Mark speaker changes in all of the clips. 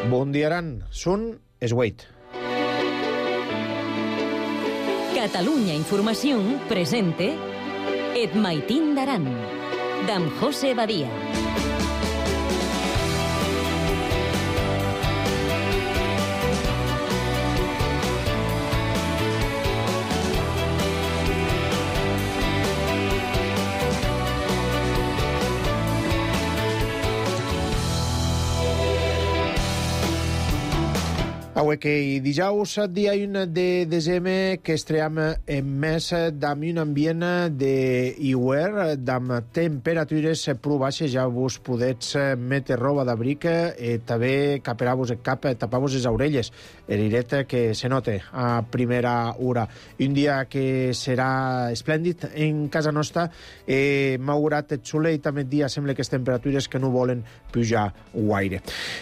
Speaker 1: Bon dia, Aran. Són Esweit.
Speaker 2: Catalunya Información presente Et Maitín d'Aran, d'en José Badia.
Speaker 1: Avui que dijous, dia 1 de desembre, que estream en mes d'am un ambient d'hivern, d'am temperatures prou baixes, ja vos podets metre roba d'abric i també caperar-vos el cap, tapar-vos les orelles, eriret que se note a primera hora. Un dia que serà esplèndid en casa nostra, malgrat el soleil també el dia sembla que les temperatures que no volen pujar gaire.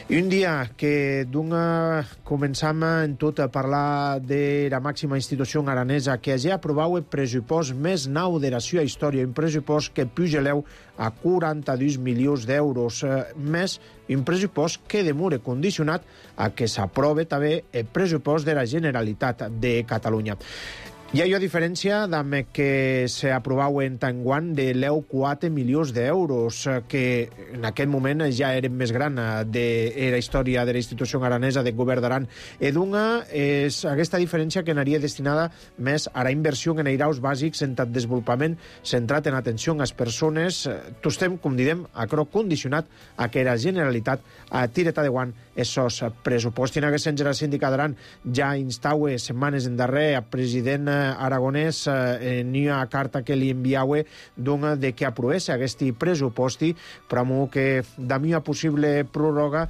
Speaker 1: Un dia que d'una començam en tot a parlar de la màxima institució aranesa que hagi aprovat el pressupost més nou de la seva història, un pressupost que puja a 42 milions d'euros, més un pressupost que demora condicionat a que s'aprove també el pressupost de la Generalitat de Catalunya. Hi ha diferència amb que s'aprovau en Tanguan de 4 milions d'euros, que en aquest moment ja eren més gran de la història de la institució aranesa del govern d'Aran. D'una és aquesta diferència que anaria destinada més a la inversió en airaus bàsics en el desenvolupament centrat en atenció a les persones. Tot estem, com diem, a croc condicionat a que la Generalitat tiret endavant esos pressupostos. En aquest sentit, la síndica d'Aran ja instaue setmanes en darrer al president aragonès en una carta que li enviaue de que aprovés aquest pressuposti, però que d'ami una possible pròrroga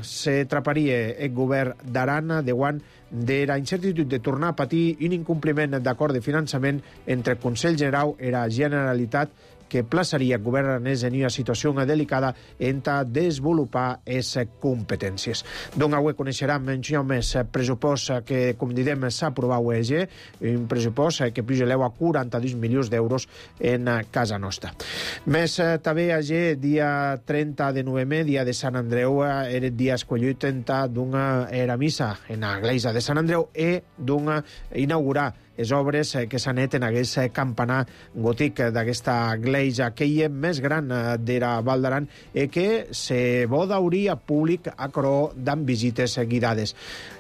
Speaker 1: se traparia el govern d'Aran davant de la incertitud de tornar a patir un incompliment d'acord de finançament entre el Consell General i la Generalitat que plaçaria el govern aranès en una situació delicada en desenvolupar les competències. Avui coneixerem en més pressupost que, com diem, s'ha aprovat un pressupost que puja a 42 milions d'euros en casa nostra. Més també dia 30 de novembre, dia de Sant Andreu, era el dia escollit d'una era missa en l'església de Sant Andreu i d'inaugurar les obres que s'han fet en aquest campanar gòtic d'aquesta església que hi és més gran de la Val d'Aran i que se vol obrir a públic a coro d'amb visites guidades.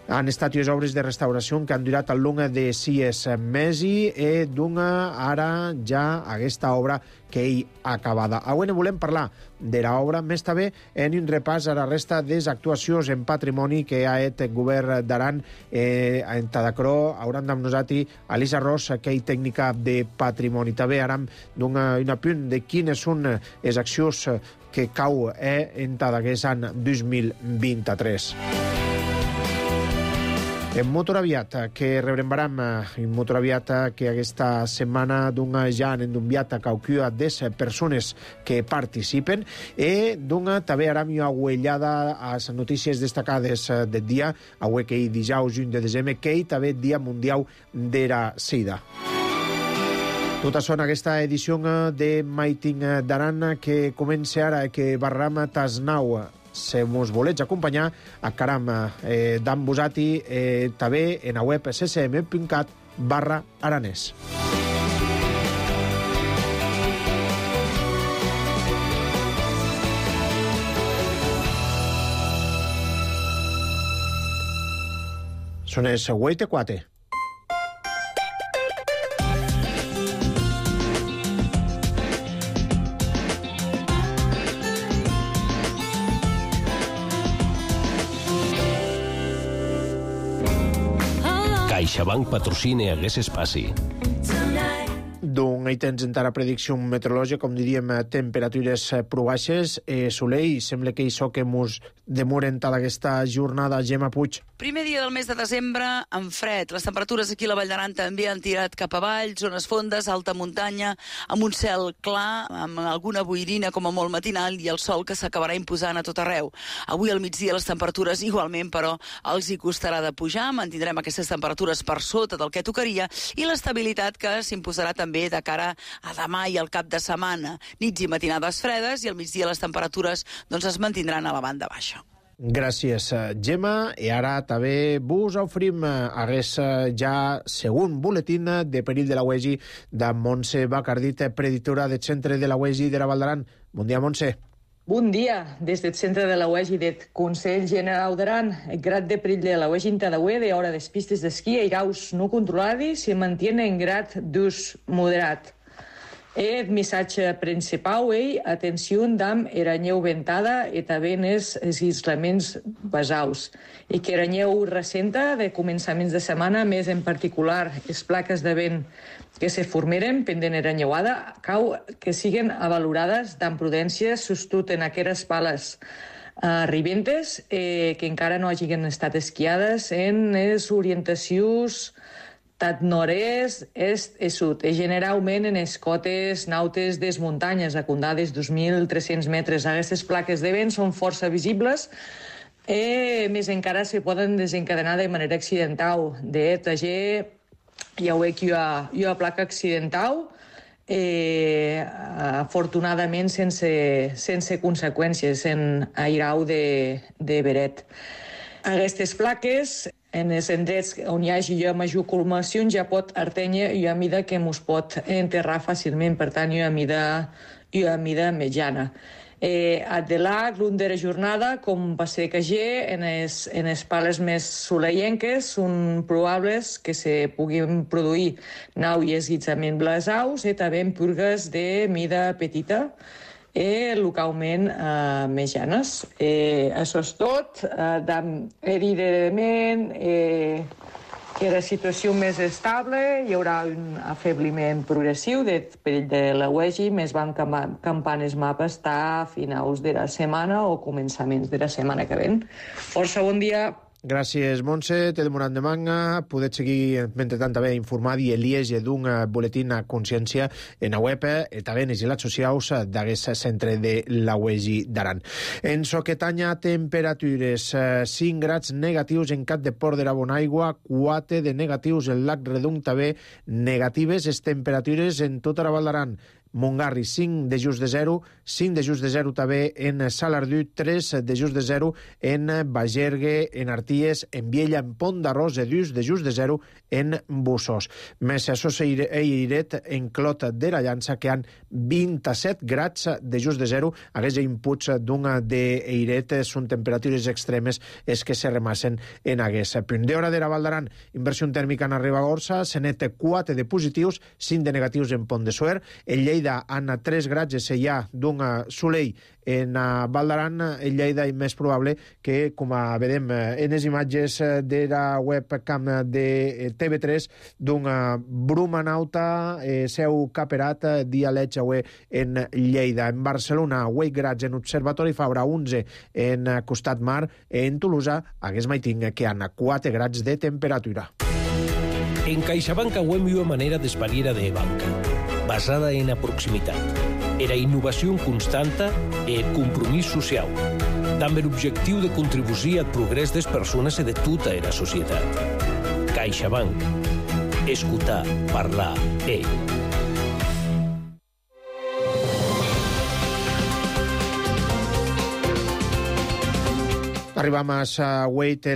Speaker 1: Han estat les obres de restauració que han durat al long de 6 mesos i ara ja aquesta obra que hi acabada. Avui ne volem parlar de l'obra, més també en un repàs a la resta de les actuacions en patrimoni que ha fet el govern d'Aran en Tadacró. Hauran amb nosaltres Elisa Ros, que és tècnica de patrimoni. També haram un apunt de quines són les accions que cau en aquest any 2023. En Motoraviat, que rebrembaram en Motoraviat, que aquesta setmana ja han enviat a qualcuna de les persones que participen i també haram una uellada a les notícies destacades del dia, avui que hi dijous 1 de desembre, que hi també dia mundial de la sida. Tot això en aquesta edició de Maitín d'Aran que comença ara, que barram tasnau. Si mos volets acompanyar, encaram d'en vosati també en la web ccm.cat/aranès. Són els 8:04.
Speaker 3: CaixaBank patrocina aquest espai.
Speaker 1: Hi tens encara predicció meteorològica, com diríem, temperatures prou baixes, soleil, sembla que això que mos demoren tota aquesta jornada. Gemma Puig.
Speaker 4: Primer dia del mes de desembre, amb fred. Les temperatures aquí a la Vall d'Aran també han tirat cap avall, zones fondes, alta muntanya, amb un cel clar, amb alguna boirina com a molt matinal i el sol que s'acabarà imposant a tot arreu. Avui al migdia les temperatures igualment, però els hi costarà de pujar, mantindrem aquestes temperatures per sota del que tocaria i l'estabilitat que s'imposarà també de cara a demà i al cap de setmana. Nits i matinades fredes i al migdia les temperatures es mantindran a la banda baixa.
Speaker 1: Gràcies, Gemma. I ara també vos oferim aquest ja segon boletín de perill de la UEGI de Montse Bacardit, predictora del centre de la UEGI de la Val d'Aran. Bon dia, Montse.
Speaker 5: Bon dia. Des del centre de la UEGI del Consell Generau d'Aran, el grad de perill de la UEGI en Tadaué de hora des pistes d'esquí i airaus no controlades se mantiene en grad d'ús moderat. El missatge principal és atenció amb eranyeu ventada i també els aislaments basaus. I que eranyeu recenta de començaments de setmana, més en particular les plaques de vent que se formeren pendent eranyeuada, cau que siguen avalorades amb prudència sostut en aqueres pales ribentes que encara no hagin estat esquiades en les orientacions tant nord-est, est i sud, i generalment en les cotes nautes des muntanyes, acundades 2.300 metres. Aquestes plaques de vent són força visibles i més encara se poden desencadenar de manera accidental. De TG ja veig que hi ha placa accidental, afortunadament sense conseqüències en airau de veret. Aquestes plaques, en els indrets on hi hagi major culminacions, ja pot artènyer i a mida que mos pot enterrar fàcilment, per tant, i a mida mitjana. De la l'un de la jornada, com va ser que en les pales més soleienques, són probables que se puguin produir nau i esguitzament blasaus i també en purgues de mida petita, localment mitjanes. Això és tot. Evidentment, que la situació més estable, hi haurà un afebliment progressiu del perill de la UEGI, més van campant els mapes a finals de la setmana o començaments de la setmana que ven. Força bon dia.
Speaker 1: Gràcies, Montse. Te demorat de manga. Podeu seguir, mentre tant, també informar i el liege d'un boletín a consciència en la web i també en les xarxes socials d'aquest centre de la UEGI d'Aran. En Soquetanya, temperatures 5 grads negatius en Cap de Port de la Bonaigua, 4 de negatius en Lac Redung, també negatives les temperatures en tota la Val d'Aran. Montgarri, 5 de just de 0, 5 de just de 0 també en Salardú, 3 de just de 0 en Bagergue, en Arties, en Viella, en Pont d'Arròs, 2 de just de 0 en Bussos. Més això s'eiret en Clot de la Llança, que han 27 grads de just de 0. Aquests inputs d'un d'eiret són temperatures extremes és que se remassen en aquest punt. D'hora de la Val d'Aran, inversió tèrmica en Ribagorça, se net 4 de positius, 5 de negatius en Pont de Suert, en Lleida en 3 grads de sellà d'un soleil en Val d'Aran. En Lleida és més probable que, com vedem en les imatges de la webcam de TV3, d'una bruma nauta seu caperat dialeig en Lleida. En Barcelona, 8 grads en Observatori Fabra, 11 en Costat Mar. En Tolosa, hagués maiting que han 4 grads de temperatura.
Speaker 3: En CaixaBank hem una manera d'espariera de banca, basada en la proximitat, era innovació constanta i compromís social, amb l'objectiu de contribuir al progrés de les persones i de tota la societat. CaixaBank. Escoltar, parlar,
Speaker 1: Arribam a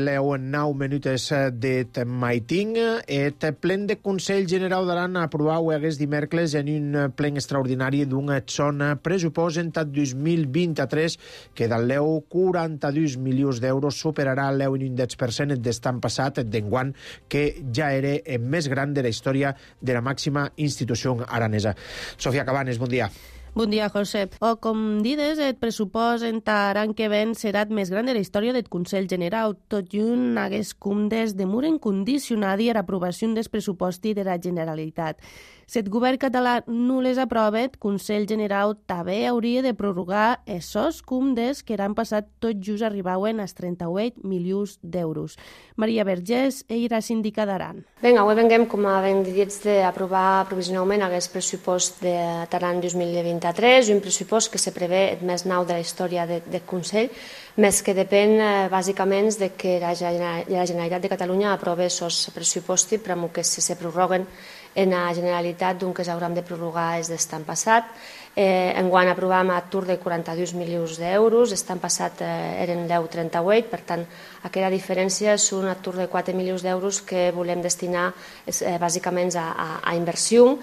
Speaker 1: la 9 minutes de maiting. El plen de Consell Generau d'Aran aprovau aquest dimecres en un plen extraordinari d'un zona pressupost en 2023 que del leu 42 milions d'euros superarà l'eu en un 10% d'estan passat d'enguant, que ja era el més gran de la història de la màxima institució aranesa. Sofia Cabanes, bon dia.
Speaker 6: Bon dia, Josep. Com dides, el pressupost en Aran que ven serà el més gran de la història del Consell Generau. Tot i un hagués cumdes de mur incondicionat i l'aprovació del pressupost de la Generalitat. Si el govern català no les aprova, el Consell Generau també hauria de prorrogar esos cumdes que han passat tot just arribauen als 38 milions d'euros. Maria Vergés, era síndica d'Aran.
Speaker 7: Ben, avui venguem com a vendits d'aprovar provisionalment aquest pressupost de Aran 2023, un pressupost que se prevé el més nou de la història del Consell, més que depèn bàsicament de que la Generalitat de Catalunya aprova aquests pressupostos per que se prorroguen en la Generalitat, doncs que s'hauran de prorrogar des d'estan passat. Enguany aprovàvem a tour de 42 milions d'euros, l'any passat eren 10,38, per tant, aquella diferència és un atur de 4 milions d'euros que volem destinar bàsicament a inversió.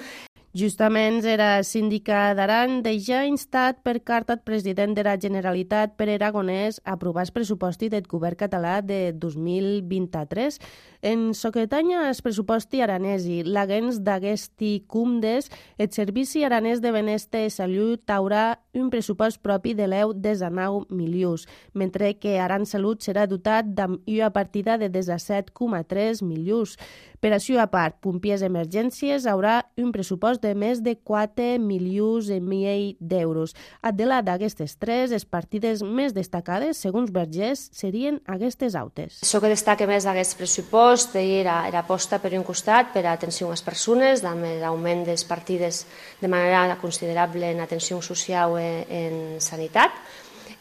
Speaker 6: Justament era síndica d'Aran deixa instat per carta al president de la Generalitat, Pere Aragonès, a aprovar el pressuposti del govern català de 2023. En Soquetanya el pressuposti aranesi, l'agens d'aguesti cumdes, el Servici Aranès de Benestar i Salut haurà un pressupost propi de 19 milions, mentre que Aran Salut serà dotat amb una partida de 17,3 milions. Per això, a part, Pompiers Emergències haurà un pressupost de més de 4 milions i mig d'euros. Adela d'aquestes tres, les partides més destacades, segons Vergés, serien aquestes autes.
Speaker 7: Això que destaca més d'aquest pressupost era aposta per un costat per a atenció a les persones, amb l'augment de les partides de manera considerable en atenció social en sanitat.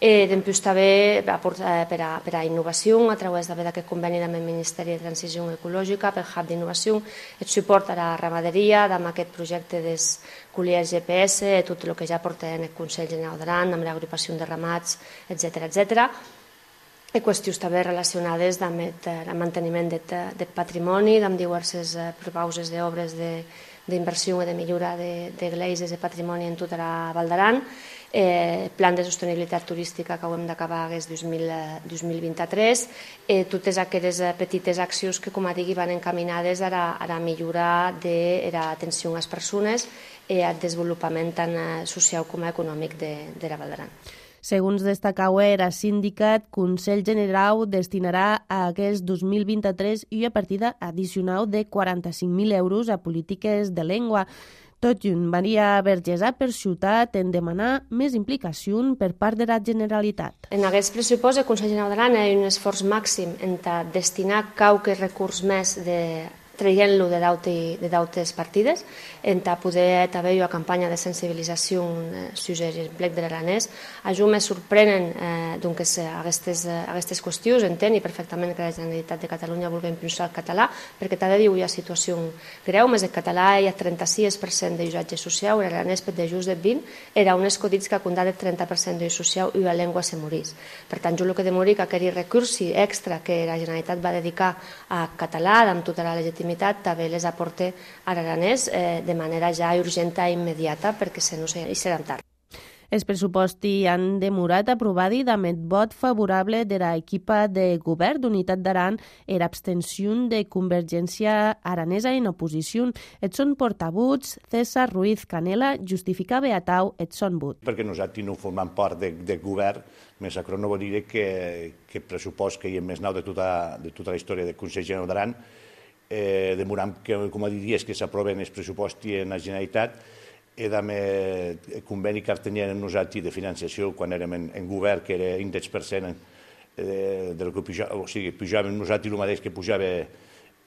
Speaker 7: Després també per a innovació, a través d'aquest conveni amb el Ministeri de Transició Ecològica, per Hub d'innovació, el suport a la ramaderia, amb aquest projecte dels colliers GPS, tot el que ja porta en el Consell General d'Aran, amb l'agrupació de ramats, etc. I qüestions també relacionades amb el manteniment del patrimoni, amb diverses propostes d'obres d'inversió i de millora de gleses de patrimoni en tota la Val d'Aran, plan de sostenibilitat turística que hem d'acabar aquest 2023, totes aquelles petites accions que, com a digui, van encaminades a la millora de l'atenció a les persones i al desenvolupament tant social com econòmic de la Val d'Aran.
Speaker 6: Segons destacava era sindicat, Consell General destinarà a aquest 2023 una partida addicional de 45.000 euros a polítiques de llengua. Tot junt, Maria Vergés ha perxutat en demanar més implicació per part de la Generalitat.
Speaker 7: En aquest pressupost, el Consell General d'Aran ha un esforç màxim en destinar qualque recurs més traient-lo de d'altres partides, en poder haver una campanya de sensibilització sobre l'emplec de l'aranès. A mi me sorprenen aquestes qüestions, entenc perfectament que la Generalitat de Catalunya vulgui impulsar el català, perquè també viu una situació greu, més el català hi ha 36% d'usatge social, l'aranès per de just de 20, era un escodits que condà el 30% d'ús social i la llengua se morís. Per tant, jo el que demori que aquell recurs extra que la Generalitat va dedicar a català, amb tota la legitimitat, també les aporta a l'aranès de manera ja urgent i immediata, perquè si no hi seran tard.
Speaker 6: Els pressupostos han demorat aprovats amb el vot favorable de l'equipa de govern d'Unitat d'Aran i l'abstenció de Convergència Aranesa en oposició. Et són portavuts, César Ruiz Canela justificava a tau et són vot.
Speaker 8: Perquè nosaltres no formem part del govern, més acro no vol dir que el pressupost que hi ha més nou de tota la història del Consell General d'Aran demorant que, com a diries, que s'aproven els pressupostos en la Generalitat i amb el conveni que teníem nosaltres de financiació quan érem en govern, que era índex per cent del que pujàvem, o sigui, pujàvem nosaltres el mateix que pujava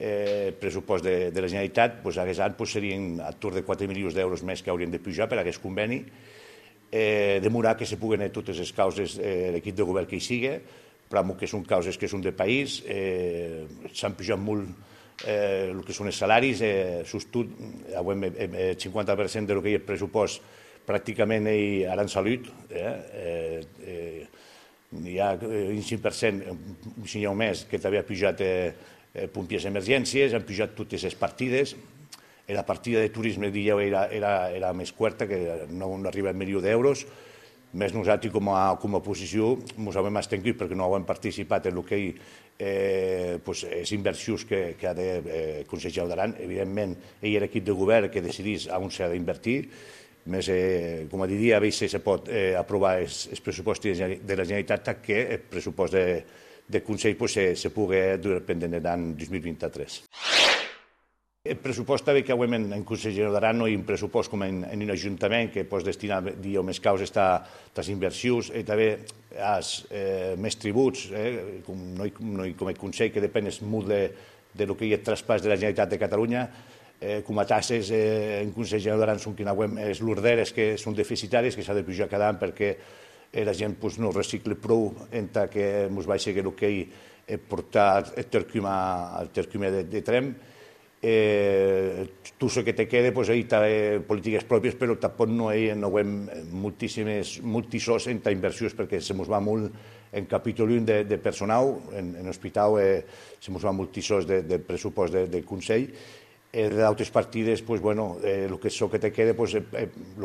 Speaker 8: el pressupost de la Generalitat, doncs aquest any serien a tour de 4 milions d'euros més que haurien de pujar per aquest conveni, demorar que se puguen totes les causes l'equip de govern que hi sigui, però que són causes que són de país, s'han pujat molt el que són els salaris, el 50% del que hi ha pressupost pràcticament ara en salut, hi ha un 5%, si n'hi ha més, que també ha pujat Pompiers Emergències, han pujat totes les partides, la partida de turisme era més curta, que no arriba a 1 milió d'euros, més nosaltres com a oposició ens hem abstingut perquè no hem participat en el que les inversions que ha de Consell General d'Aran. Evidentment, ell era l'equip de govern que decidís on s'ha d'invertir, més, com a diria, a veure si se pot aprovar els pressupostos de la Generalitat que el pressupost del Consell se pugui dur pendent l'any 2023. El pressupost també que hem en Consell General d'Aran no hi ha un pressupost com en un ajuntament que pots destinar més causes a les inversions i també més tributs, com el Consell que depèn molt del que hi ha traspàs de la Generalitat de Catalunya, com a tasses en Consell General d'Aran són les lorderes que són deficitàries, que s'ha de pujar cada any perquè la gent no recicla prou entre que ens va seguir el que hi portar el tercume de trem. tu so que te quede, pues ahí està polítiques pròpies, però tampoc no hi ha multisòs en inversions, perquè se mos va molt en capítol 1 de personal, en hospital se mos va multisòs de pressupost del Consell. D'altres partides, pues bueno, el que so que te quede, pues el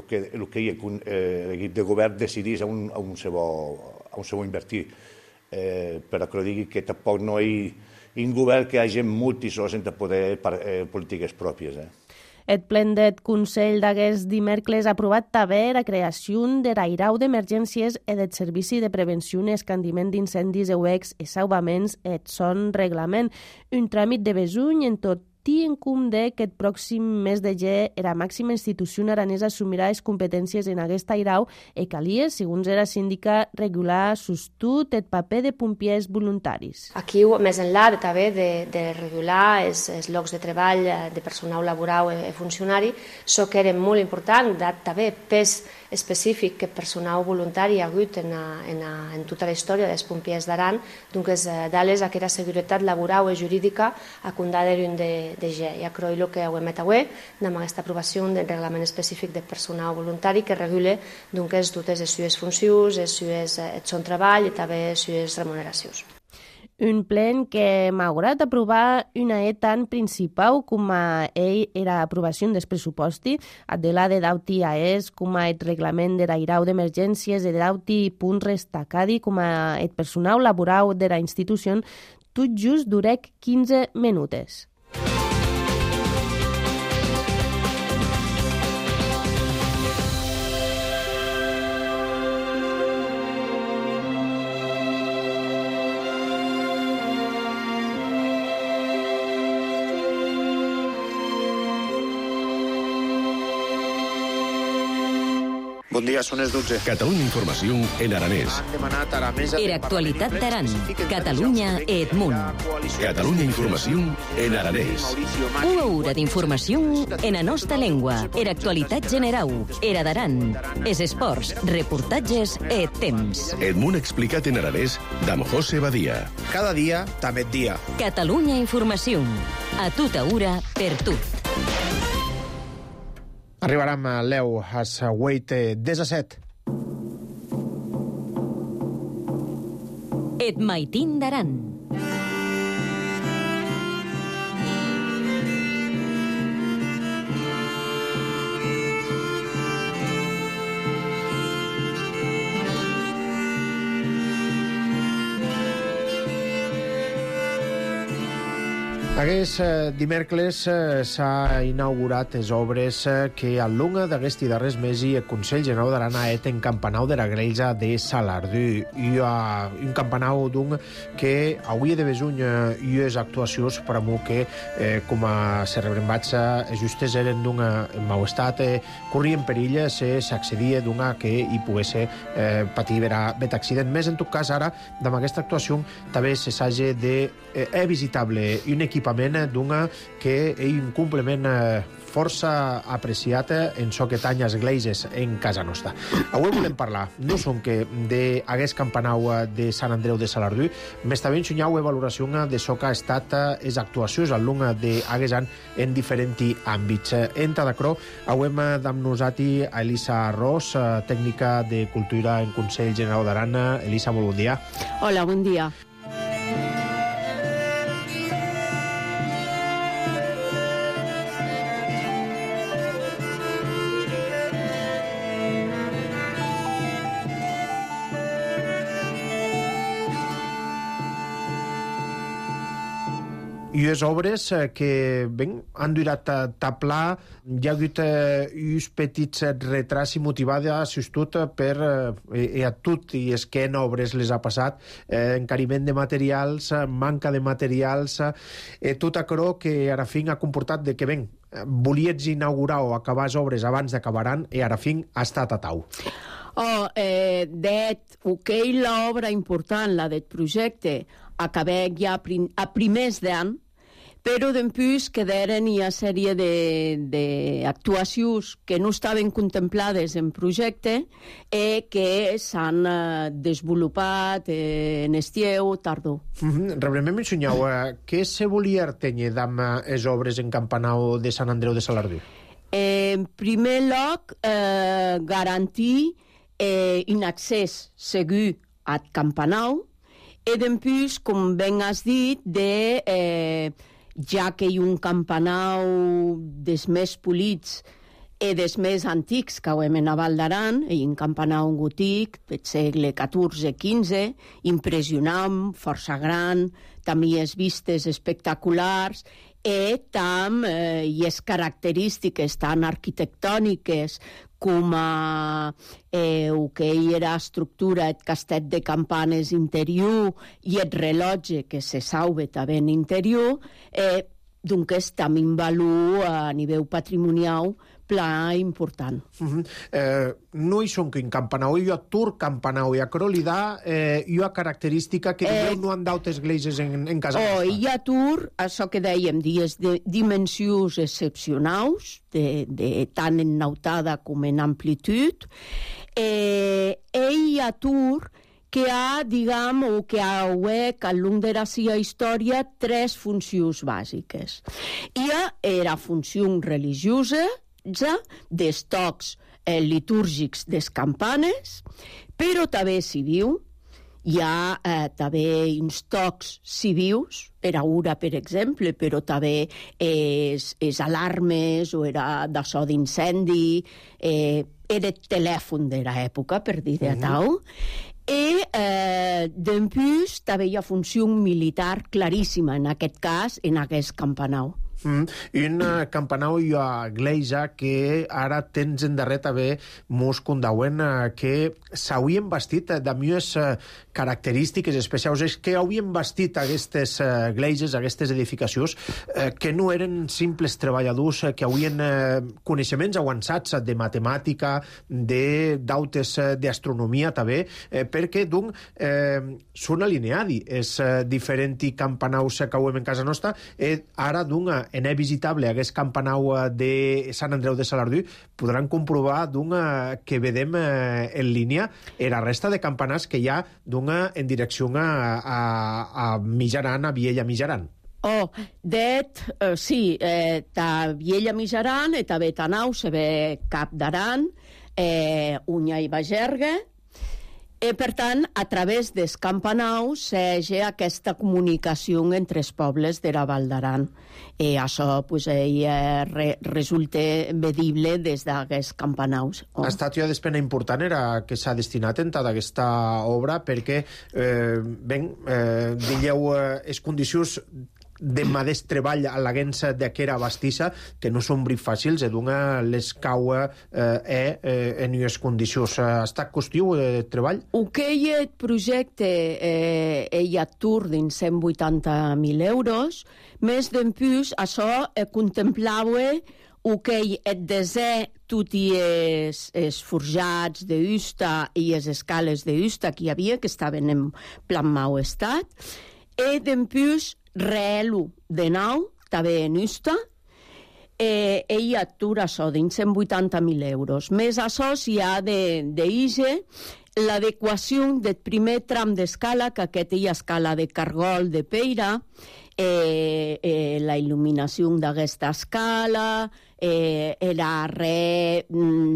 Speaker 8: que l'equip de govern decidís on se vol invertir. Però que digui que tampoc no hi ha un govern que hagi multisòs en poder polítiques pròpies.
Speaker 6: El plen del Consell d'aquest dimecres ha aprovat també la creació de l'airau d'emergències i del Servici de Prevenció i Escandiment d'Incendis EUEX i Salvaments et son reglament. Un tràmit de besuny en tot en compte que el pròxim mes de gener la màxima institució aranesa assumirà les competències en aquesta airau i calia, segons era síndica, regular sostut el paper de pompiers voluntaris.
Speaker 7: Aquí, més enllà també de regular els llocs de treball de personal laboral i funcionari, això que era molt important, dat també pes específic que personal voluntari ha hagut en tota la història dels pompiers d'Aran, doncs d'ales aquesta seguretat laboral i jurídica a condar-hi de ge. Ja crec que ho hem avui amb aquesta aprovació del reglament específic de personal voluntari que regula totes les seves funcions, el seu treball i també les seves remuneracions.
Speaker 6: Un plen que, malgrat aprovar una tan principal com era l'aprovació dels pressupostos, de dauti com el reglament de l'airau d'emergències i dauti punt destacadi com el personal laboral de la institució, tot just durec 15 minuts.
Speaker 9: Bon dia, són les 12. Catalunya Informació en aranès.
Speaker 2: Era actualitat d'Aran, Catalunya i Edmunt.
Speaker 9: Catalunya Informació en aranès.
Speaker 2: Una hora d'informació en la nostra llengua. Era actualitat general. Era d'Aran. Es esports, reportatges i temps.
Speaker 9: Edmunt explicat en aranès d'Am José Badia.
Speaker 1: Cada dia, també dia.
Speaker 2: Catalunya Informació. A tota hora, per tot.
Speaker 1: Arribarem a l'EU, a Wait 17.
Speaker 2: Et maitin d'Aran.
Speaker 1: Aquest dimecres s'ha inaugurat les obres que al longa d'aquest darrers mesos el Consell Generau d'Aran ha fet en campanau de la Grelja de Salardú. I un campanau que avui de besuny i les actuacions per a mi que com a serrebrembats justes eren d'un mau estat, corrien perill si s'accedia d'una que hi pogués patir bet accident. Més en tot cas ara, amb aquesta actuació també se s'hagi de visitable un equipament d'una que és un complement força apreciat en so que tanya esglésies en casa nostra. Avui volem parlar no som que d'aquest campanau de Sant Andreu de Salardú, més també ensenyau valoració de so que ha estat les actuacions al long d'aquest any en diferents àmbits. Entra d'acrò, avui hem amb nosaltres a Elisa Ros, tècnica de Cultura en Consell Generau d'Aran. Elisa, molt bon dia.
Speaker 10: Hola, bon dia.
Speaker 1: I les obres que han durat a taplar, hi ha hagut uns petits retrats i motivada tot per a tot i és que en obres les ha passat, encariment de materials, manca de materials, tot això que ara fin ha comportat de que volies inaugurar o acabar les obres abans d'acabaran i ara fin ha estat a tau.
Speaker 10: L'obra important, la del projecte, acabem ja a primers d'any, però després quedaren una sèrie d'actuacions que no estaven contemplades en projecte i que s'han desenvolupat en estiu, tardor.
Speaker 1: Realment m'ensenyeu, què se volia tenir amb les obres en Campanau de Sant Andreu de Salardú?
Speaker 10: En primer lloc, garantir un accés segur al Campanau i després, com ben has dit, ja que hi ha un Campanau dels més polits i dels més antics que hem a Val d'Aran, i un Campanau gòtic del segle XIV-XV, impressionant, força gran, també les vistes espectaculars, i també les característiques tan arquitectòniques com el que era estructura el castell de campanes interior i el rellotge que se sauve també en interior, doncs també un valor a nivell patrimonial pla important.
Speaker 1: No hi són que en Campanau hi ha Tur Campanau i a Crolidà hi ha característica que no han d'altres gleises en casa nostra.
Speaker 10: Hi ha Tur, això que dèiem, dimensions excepcionals, tant en nautada com en amplitud, i hi ha Tur que ha, diguem, o que ha al long de la seva història, tres funcions bàsiques. Hi ha la funció religiosa, dels tocs litúrgics des campanes, però també civil. Hi ha també uns tocs civils, era ura, per exemple, però també les alarmes o era de so d'incendi, era telèfon de l'època, per dir de tal. I després també hi ha funció militar claríssima, en aquest cas, en aquest Campanau.
Speaker 1: Un Campanau i a Gleisa que ara tens endarrer també mos condauen que s'havien vestit amb unes característiques especials, és que havien vestit aquestes gleises, aquestes edificacions, que no eren simples treballadors, que havien coneixements avançats de matemàtica, d'altres d'astronomia també, perquè són alineadi. És diferent i Campanaus que ho hem en casa nostra, ara en visitable aquest Campanau de Sant Andreu de Salardú, podran comprovar que vedem en línia la resta de campanars que hi ha en direcció a Mijaran, a Viella Mijaran.
Speaker 10: Sí, ta Viella Mijaran i també Tanau se ve Cap d'Aran, Unya i Bagerga. Per tant, a través del Campanau s'hi ha aquesta comunicació entre els pobles de la Val d'Aran. I això resulta vedible des d'aquests Campanaus.
Speaker 1: Ha estat una despesa important que s'ha destinat en tota aquesta obra perquè, digueu, les condicions de madeix treball a la guença d'aquera bastissa, que no són brit fàcils, les cau en unes condicions. Ha estat costiu de treball?
Speaker 10: Aquest projecte hi ha tur dins 180.000 euros, més d'en plus, això contemplava el desè tot i els forjats d'Usta i les escales d'Usta que hi havia, que estaven en plan mau estat, i d'en plus reelu de nou, també en Usta, i atura això dins 180.000 euros. Més això s'hi ha d'IGE l'adequació del primer tram d'escala, que aquest hi ha escala de cargol de Peira, la il·luminació d'aquesta escala, era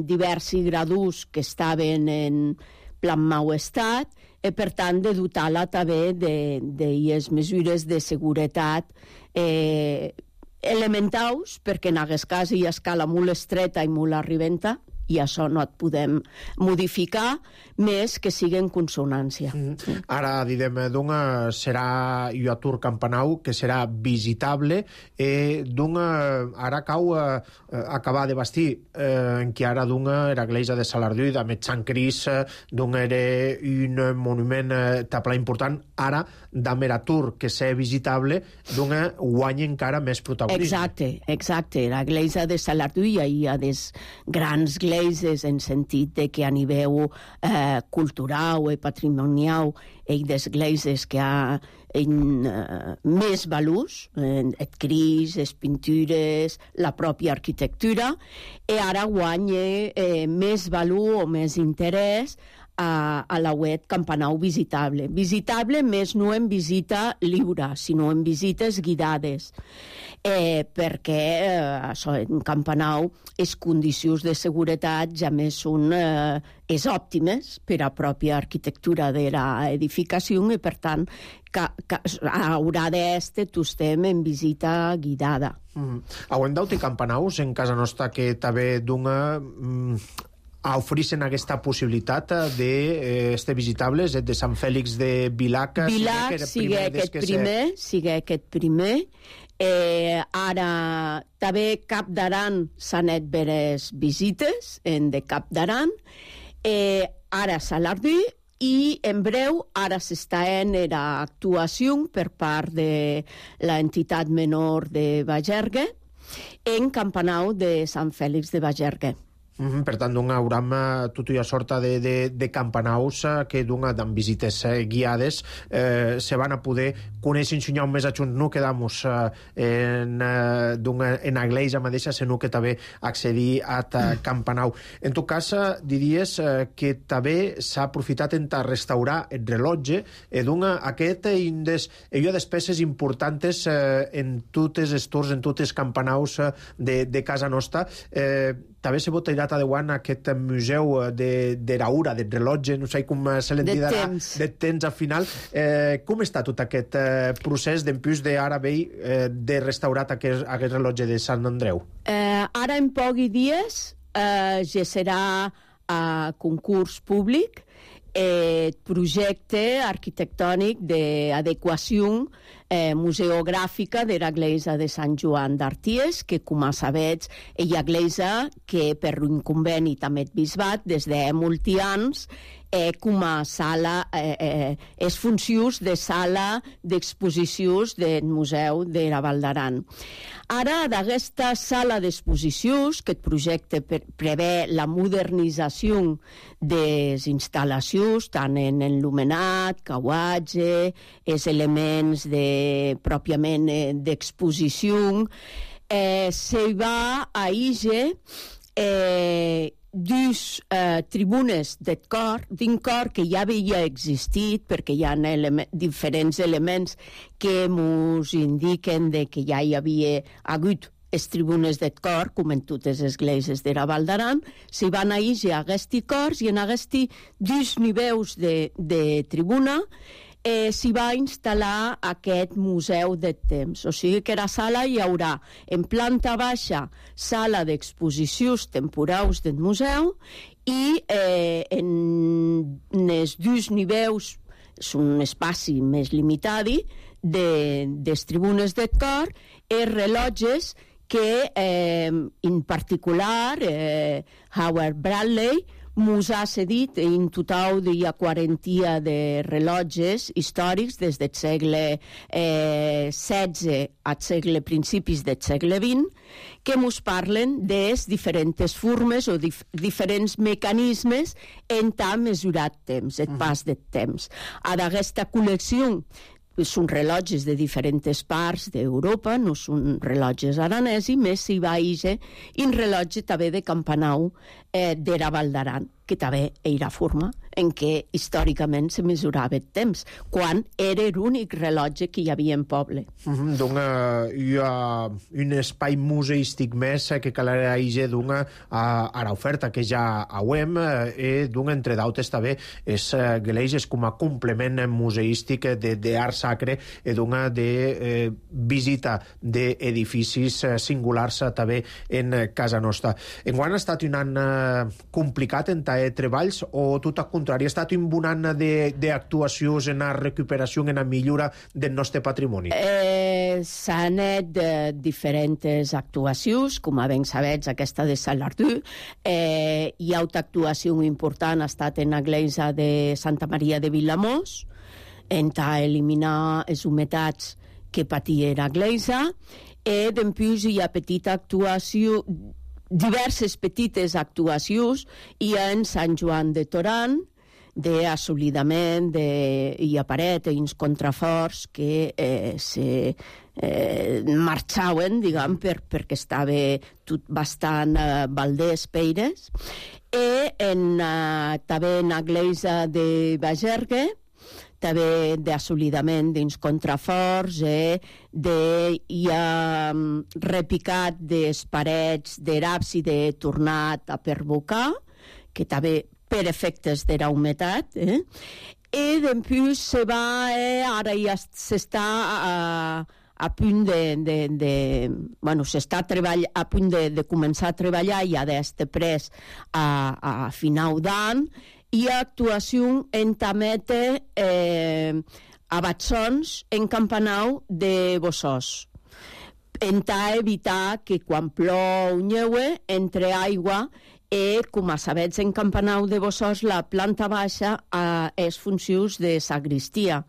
Speaker 10: diversos graus que estaven en plan mau estat, i per tant de dotar-la també de les mesures de seguretat elementals, perquè en aquest cas hi ha escala molt estreta i molt arribenta, i això no et podem modificar més que sigui en consonància.
Speaker 1: Ara, diguem, serà Iuatur Campanau, que serà visitable, ara cau acabar de bastir, en què ara era l'església de Salardú, de Sant Cris, era un monument tapla important, ara d'Ameratur, que ser visitable, guanya encara més protagonisme.
Speaker 10: Exacte. L'església de Salardú hi ha des grans gleises gleises en sentit de que a nivell cultural i patrimonial hi des gleises que ha més valors, et cris, les pintures, la pròpia arquitectura, i ara guanya més valor o més interès a la web Campanau visitable. Visitable més no en visita lliure, sinó en visites guidades, perquè en Campanau les condicions de seguretat ja més són òptimes per a pròpia arquitectura de l'edificació i, per tant, haurà d'estar estem en visita guidada.
Speaker 1: Hauem d'auti Campanaus en casa nostra que també dona a oferir-se aquesta possibilitat d'estar visitables, de Sant Fèlix de Vilac.
Speaker 10: Vilac sigui aquest primer. Ara també Cap d'Aran s'han anat veres visites de Cap d'Aran. Ara Salardí i en breu ara s'està en l'actuació per part de l'entitat menor de Bagergue en Campanau de Sant Fèlix de Bagergue.
Speaker 1: Per tant, haurem tota una sorta de campanaus que amb visites guiades se van a poder conèixer ensenyar més adjunts, no quedamos en la iglesia mateixa, sinó que també accedir a Campanau. En tot cas, diries que també s'ha aprofitat en restaurar el rellotge i aquest hi ha despeses importants en totes les tours, en totes les campanaus de casa nostra. També se pot tirar endavant aquest museu de l'aura, del rellotge, no sé com se l'en dirà, de temps al final. Com està tot aquest procés d'empús d'ara vell de restaurar aquest rellotge de Sant Andreu?
Speaker 10: Ara en pocs dies ja serà a concurs públic el projecte arquitectònic d'adequació museogràfica de l'església de Sant Joan d'Arties, que, com sabeu, és l'església que, per un conveni també el bisbat, des de molts anys, com a sala, és funcions de sala d'exposicions del Museu de la Val d'Aran. Ara, d'aquesta sala d'exposicions, que el projecte prevé la modernització de les instal·lacions, tant en enlumenat, cauatge, els elements pròpiament d'exposició, se va a IGE dues tribunes d'un cor que ja havia existit, perquè hi ha diferents elements que ens indiquen que ja hi havia hagut les tribunes del cor, com en totes les esglésies de la Val d'Aran, s'hi van a IGE a aquests cors i en aquests dos nivells de tribuna s'hi va instal·lar aquest museu de temps. O sigui que a la sala hi haurà en planta baixa sala d'exposicions temporals del museu i en els dos nivells és un espai més limitat de les tribunes del cor i rellotges que en particular Howard Bradley mos ha cedit en total hi ha 40 de rellotges històrics des del segle XVI al principis del segle XX que mos parlen de diferents formes o diferents mecanismes en tant mesurat temps, el pas del temps. A d'aquesta col·lecció són rellotges de diferents parts d'Europa, no són rellotges aranesos, més s'hi va a un rellotge també de Campanau de la Val d'Aran, que també era forma en què històricament se mesurava el temps, quan era l'únic rellotge que hi havia en poble.
Speaker 1: Donc hi ha un espai museístic més que caldrà a l'oferta que ja hauem i entre d'altres també és gleises com a complement museístic d'art sacre i de visita d'edificis singulars també en casa nostra. Enguany ha estat un any complicat en treballs o tot al contrari, ha estat un bon any d'actuacions en la recuperació, en la millora del nostre patrimoni?
Speaker 10: S'han anat diferents actuacions, com ben sabeu, aquesta de Salardú. Hi ha una actuació important, ha estat en l'església de Santa Maria de Vilamós, en eliminar les humitats que patia l'església, i després hi ha petita actuació diverses petites actuacions i en Sant Joan de Torant, d'assolidament i aparet i uns contraforts que se marxaven, diguem, perquè estava tot bastant Valdés Peires, i també en l'església de Bagergue, també d'assolidament dins contraforts, hi ha repicat des parets d'abside tornat a perbocar, que també per efectes de la humitat, i després se va, ara ja s'està a punt s'està a punt de començar a treballar ja d'este pres a final d'any, i actuació en tamete a Batzons en Campanau de Bossós. Enta evitar que quan plou neue entre aigua com a sabets en Campanau de Bossós la planta baixa és funcions de sagristia.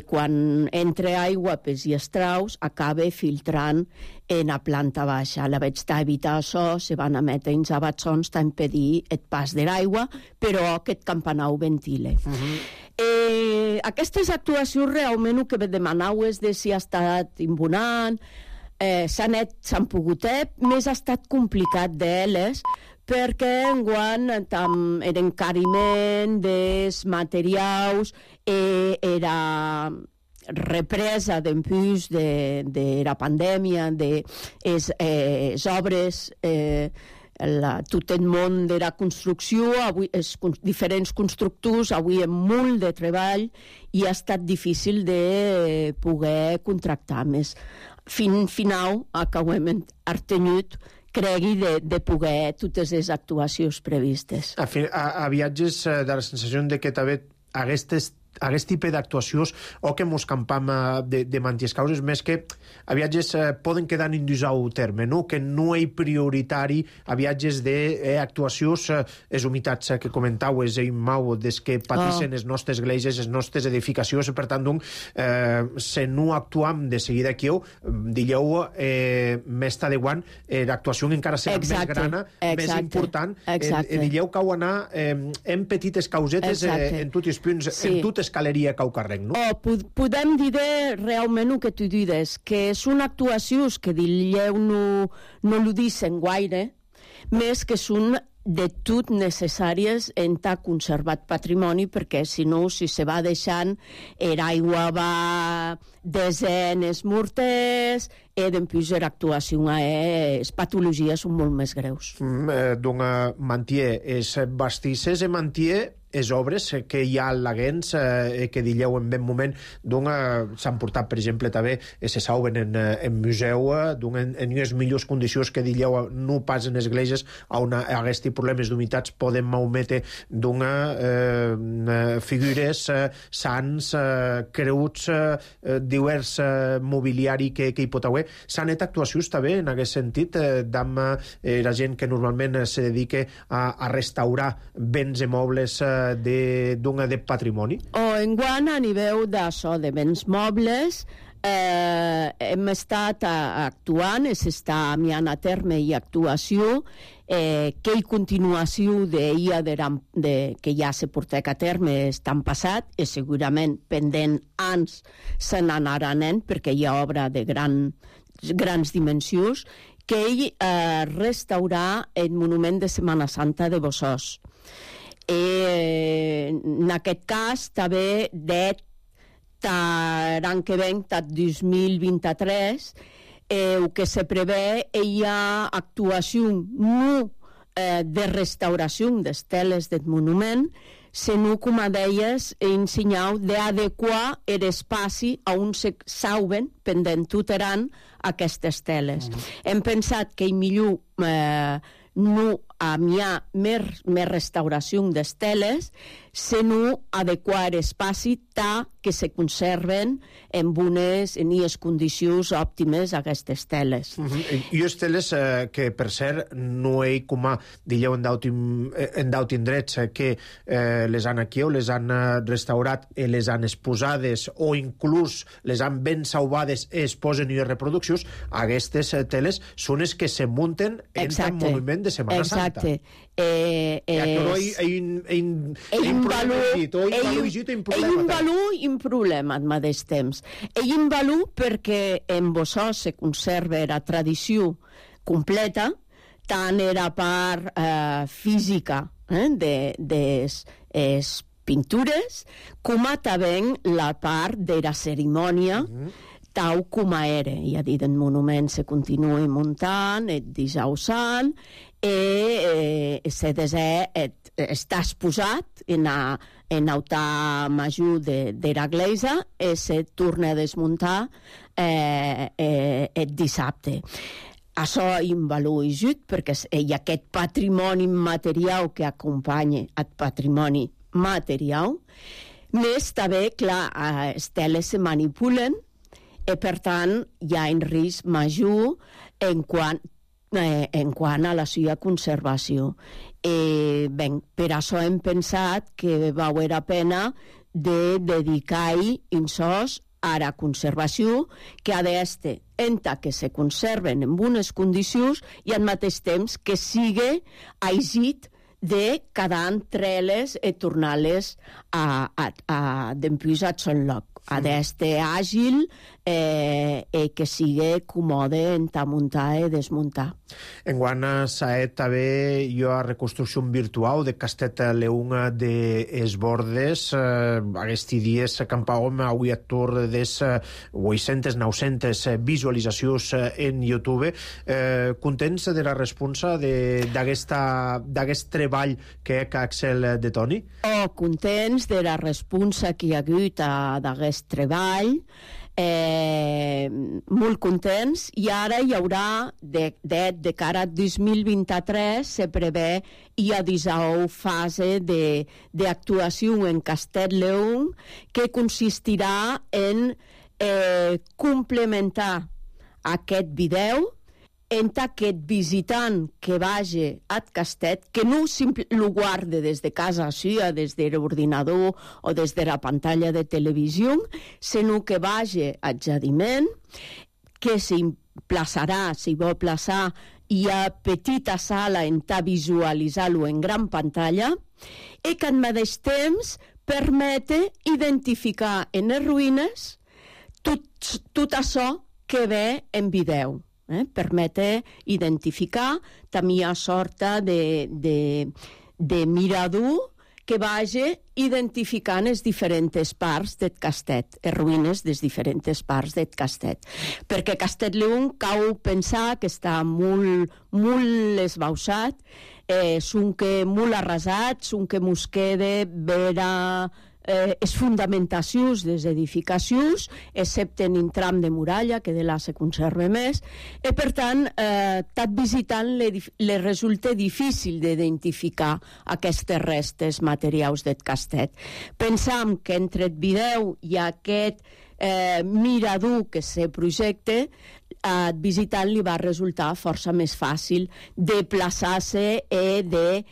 Speaker 10: Quan entra aigua pels estraus acaba filtrant en la planta baixa. La veig d'evitar això, se van emetre uns abatzons a impedir el pas de l'aigua, però aquest Campanau ventile. Aquestes actuacions realment el que demanau és de si ha estat imbonant, s'han pogut, més ha estat complicat d'elles, perquè enguany l'encariment dels materials era represa després de la pandèmia, de les obres, tot el món de la construcció, els diferents constructors, avui amb molt de treball, i ha estat difícil de poder contractar més. Final, acabem artenyut, cregui de poder totes les actuacions previstes.
Speaker 1: A viatges de la sensació de que també aquest tipus d'actuacions o que mos campam de manties causes, més que a viatges poden quedar indús au terme, no? Que no és prioritari a viatges d'actuacions, les humitats que comentau, és immau des que pateixen les nostres esglésies, les nostres edificacions, per tant, si no actuam de seguida aquí, dilleu més adequant, l'actuació encara serà més grana, més important, dilleu que heu anar en petites causetes en tots els punts, en tot escaleria caucarrenc, no?
Speaker 10: Podem dir realment el que tu dius, que són actuacions que dilleu no ho dicen gaire, més que són de tot necessàries en ta conservat patrimoni, perquè si no, si se va deixant, l'aigua va desenes morters, i després l'actuació, les patologies són molt més greus.
Speaker 1: Donc, mantier, és bastisses i mantier les obres que hi ha al·laguents que dilleu en ben moment s'han portat, per exemple, també se saben en museu en unes millors condicions que dilleu no pas en esglésies on aquests problemes d'humitats poden malmetre figures, sants, creuts, divers mobiliari que hi pot haver. S'han fet actuacions també en aquest sentit d'amb la gent que normalment se dedica a restaurar béns i mobles de patrimoni?
Speaker 10: Enguany, a nivell d'això, de béns mobles, hem estat actuant, s'està enviant a terme i actuació, que hi continuació que ja se portec a terme estan passat, i segurament pendent anys se n'anaran, perquè hi ha obra de grans dimensions, que ell restaurar el monument de Setmana Santa de Bossós. En aquest cas també l'any que ve, 2023, el que se prevé hi ha actuació no de restauració d'esteles del monument, sinó, com a deies, en senyal d'adequar l'espai on se saben pendent tuteran aquestes teles. Hem pensat que millor no hi ha més restauració d'esteles, sinó adequar l'espai que se conserven en unes condicions òptimes aquestes teles.
Speaker 1: I les teles que, per cert, no hi com a, dieu en daut indrets, que les han aquí o les han restaurat, les han exposades o inclús les han ben salvades i es posen i reproduccions, aquestes teles són les que se munten en el moviment de Setmana Santa.
Speaker 10: Exacte. Un problema al mateix temps. Un valor perquè en Bossó se conserva la tradició completa, tant era part física de les pintures, com també la part de la cerimònia, tal com era. Ja dit, el monument se continua muntant, el dijous sant, i se està exposat en l'altar major de l'església i se torna a desmuntar el dissabte. Això és un valor ajut perquè hi ha aquest patrimoni material que acompanya el patrimoni material. Més també, clar, les teles se manipulen i, per tant, hi ha un risc major en quant a la seva conservació. Per això hem pensat que valdria la pena de dedicar-hi un sos a la conservació, que ha d'estar entre que se conserven en bones condicions i al mateix temps que sigui aixit de quedar entre-les i tornar-les d'empús al son lloc. Ha d'estar àgil i que sigui còmode en muntar i desmuntar.
Speaker 1: Enguant s'ha també a reconstrucció virtual de Castet Leung de Esbordes. Aquests dies campàvem avui a tour de 800-900 visualitzacions en YouTube. Contents de la responsa d'aquest treball que ha Axel de Toni?
Speaker 10: Contents de la responsa que hi ha hagut d'aquest treball, molt contents, i ara hi haurà de cara a 2023 se prevé hi ha 19 fase d'actuació en Castet Leung que consistirà en complementar aquest vídeo entre aquest visitant que vagi al Castet, que no lo guarde des de casa seva, des de l'ordinador o des de la pantalla de televisió, sinó que vagi al jardiment, que s'emplaçarà, si vol plaçar, hi ha petita sala on visualitzar-lo en gran pantalla, i que al mateix temps permete identificar en les ruïnes tot això que ve en vídeo. Permete identificar també a sorta de mirador que vagi identificant les diferents parts del Castet, les ruïnes de les diferents parts del Castet. Perquè Castet Leung cal pensar que està molt esbausat, molt arrasat, que mos queda veure les fundamentacions de les edificacions, excepte en un tram de muralla, que de là se conserva més, i per tant, tot visitant li resulta difícil d'identificar aquestes restes materials del Castet. Pensam que entre el vídeo i aquest mirador que se projecta, al visitant li va resultar força més fàcil de plaçar-se i de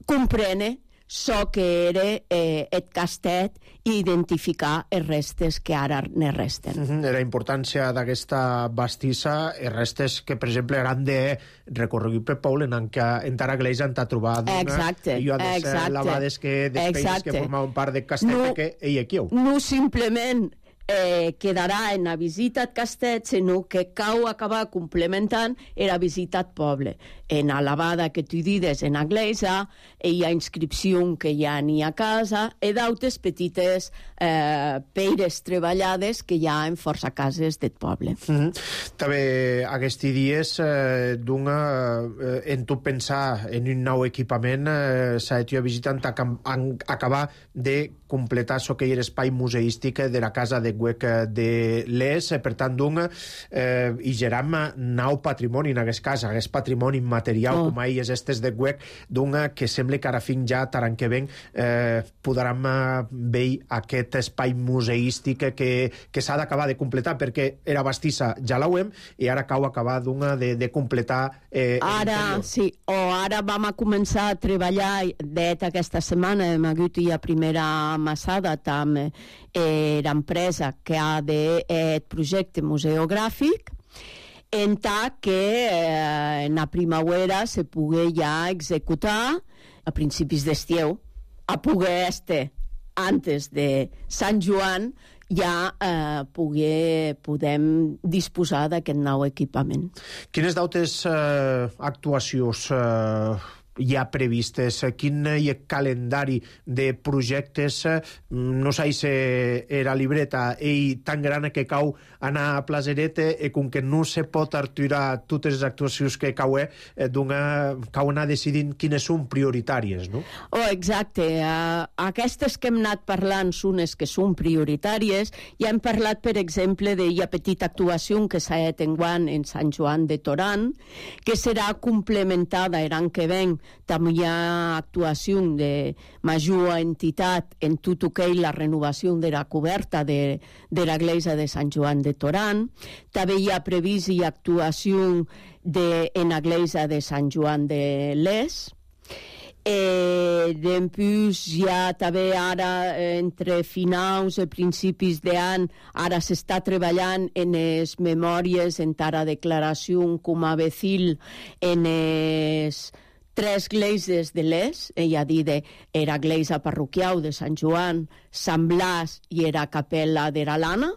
Speaker 10: comprendre que era el Castet i identificar els restes que ara ne resten.
Speaker 1: La importància d'aquesta bastissa, els restes que, per exemple, eren de recorregut per Paul en entrar a Gleisa en trobat i a les lavades que despeixes que formaven part del Castet que ell aquí.
Speaker 10: No simplement quedarà en la visita al Castet, sinó que cal acabar complementant la visita al poble. En la lavada que tu dides en l'església, hi ha inscripció que hi ha ni a casa, i d'altres petites peires treballades que hi ha en força cases del poble.
Speaker 1: També aquests dies, en tu pensar en un nou equipament, s'ha de visitant acabar de completar so que hi era espai museístic de la Casa de Güec de Les. Per tant, hi geram nau patrimoni en aquest cas, aquest patrimoni immaterial com a illes estes de Güec, que sembla que ara fins ja, taran que ven, podrem veure aquest espai museístic que s'ha d'acabar de completar, perquè era bastissa, ja l'hauem, i ara cau acabar de completar
Speaker 10: ara, sí, ara vam a començar a treballar aquesta setmana, hem hagut ja primera amassada amb l'empresa que ha de projecte museogràfic, en tant que en la primavera se pugui ja executar a principis d'estiu, a poder antes de Sant Joan ja podem disposar d'aquest nou equipament.
Speaker 1: Quines d'altres actuacions hi ha previstes? Quin hi ha calendari de projectes? No sé si era libreta tan gran que cau anar a Plaseret i com que no se pot aturar totes les actuacions que cau anar decidint quines són prioritàries, no?
Speaker 10: Exacte. Aquestes que hem anat parlant són les que són prioritàries. Ja hem parlat, per exemple, de la petita actuació que s'ha fet enguany en Sant Joan de Torán, que serà complementada l'any que ven. També hi ha actuació de major entitat en tot el que és la renovació de la coberta de l'església de Sant Joan de Torán. També hi ha previst actuació en l'església de Sant Joan de Les. Després hi ha també ara, entre finals i principis d'any, ara s'està treballant en les memòries, en la declaració com a vecil en les 3 esglésies de Les, a dir, era església parroquial de Sant Joan, Sant Blas i era capella de l'Alana.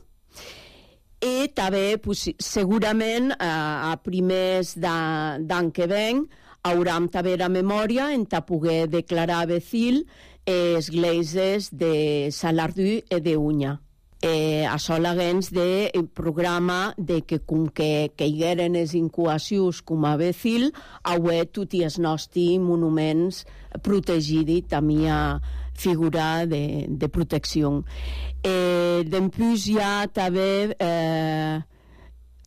Speaker 10: I també, segurament, a primers d'any que ven, haurem també la memòria en poder declarar vecil esglésies de Salardú i d'Unya. Això l'haguens de programa de que com que hi eren les incubacions com a vecil, avui tots els nostres monuments protegits també a figura de protecció. Després hi ha també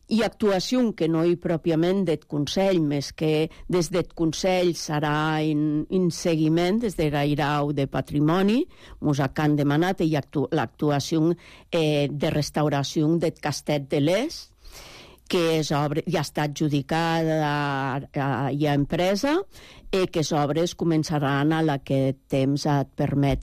Speaker 10: i actuació que no hi pròpiament del Consell, més que des del Consell serà en seguiment des de l'Airau de Patrimoni, ens han demanat l'actuació de restauració del Castell de Les, que ja ha estat adjudicada a empresa i que les obres començaran a aquest temps et permet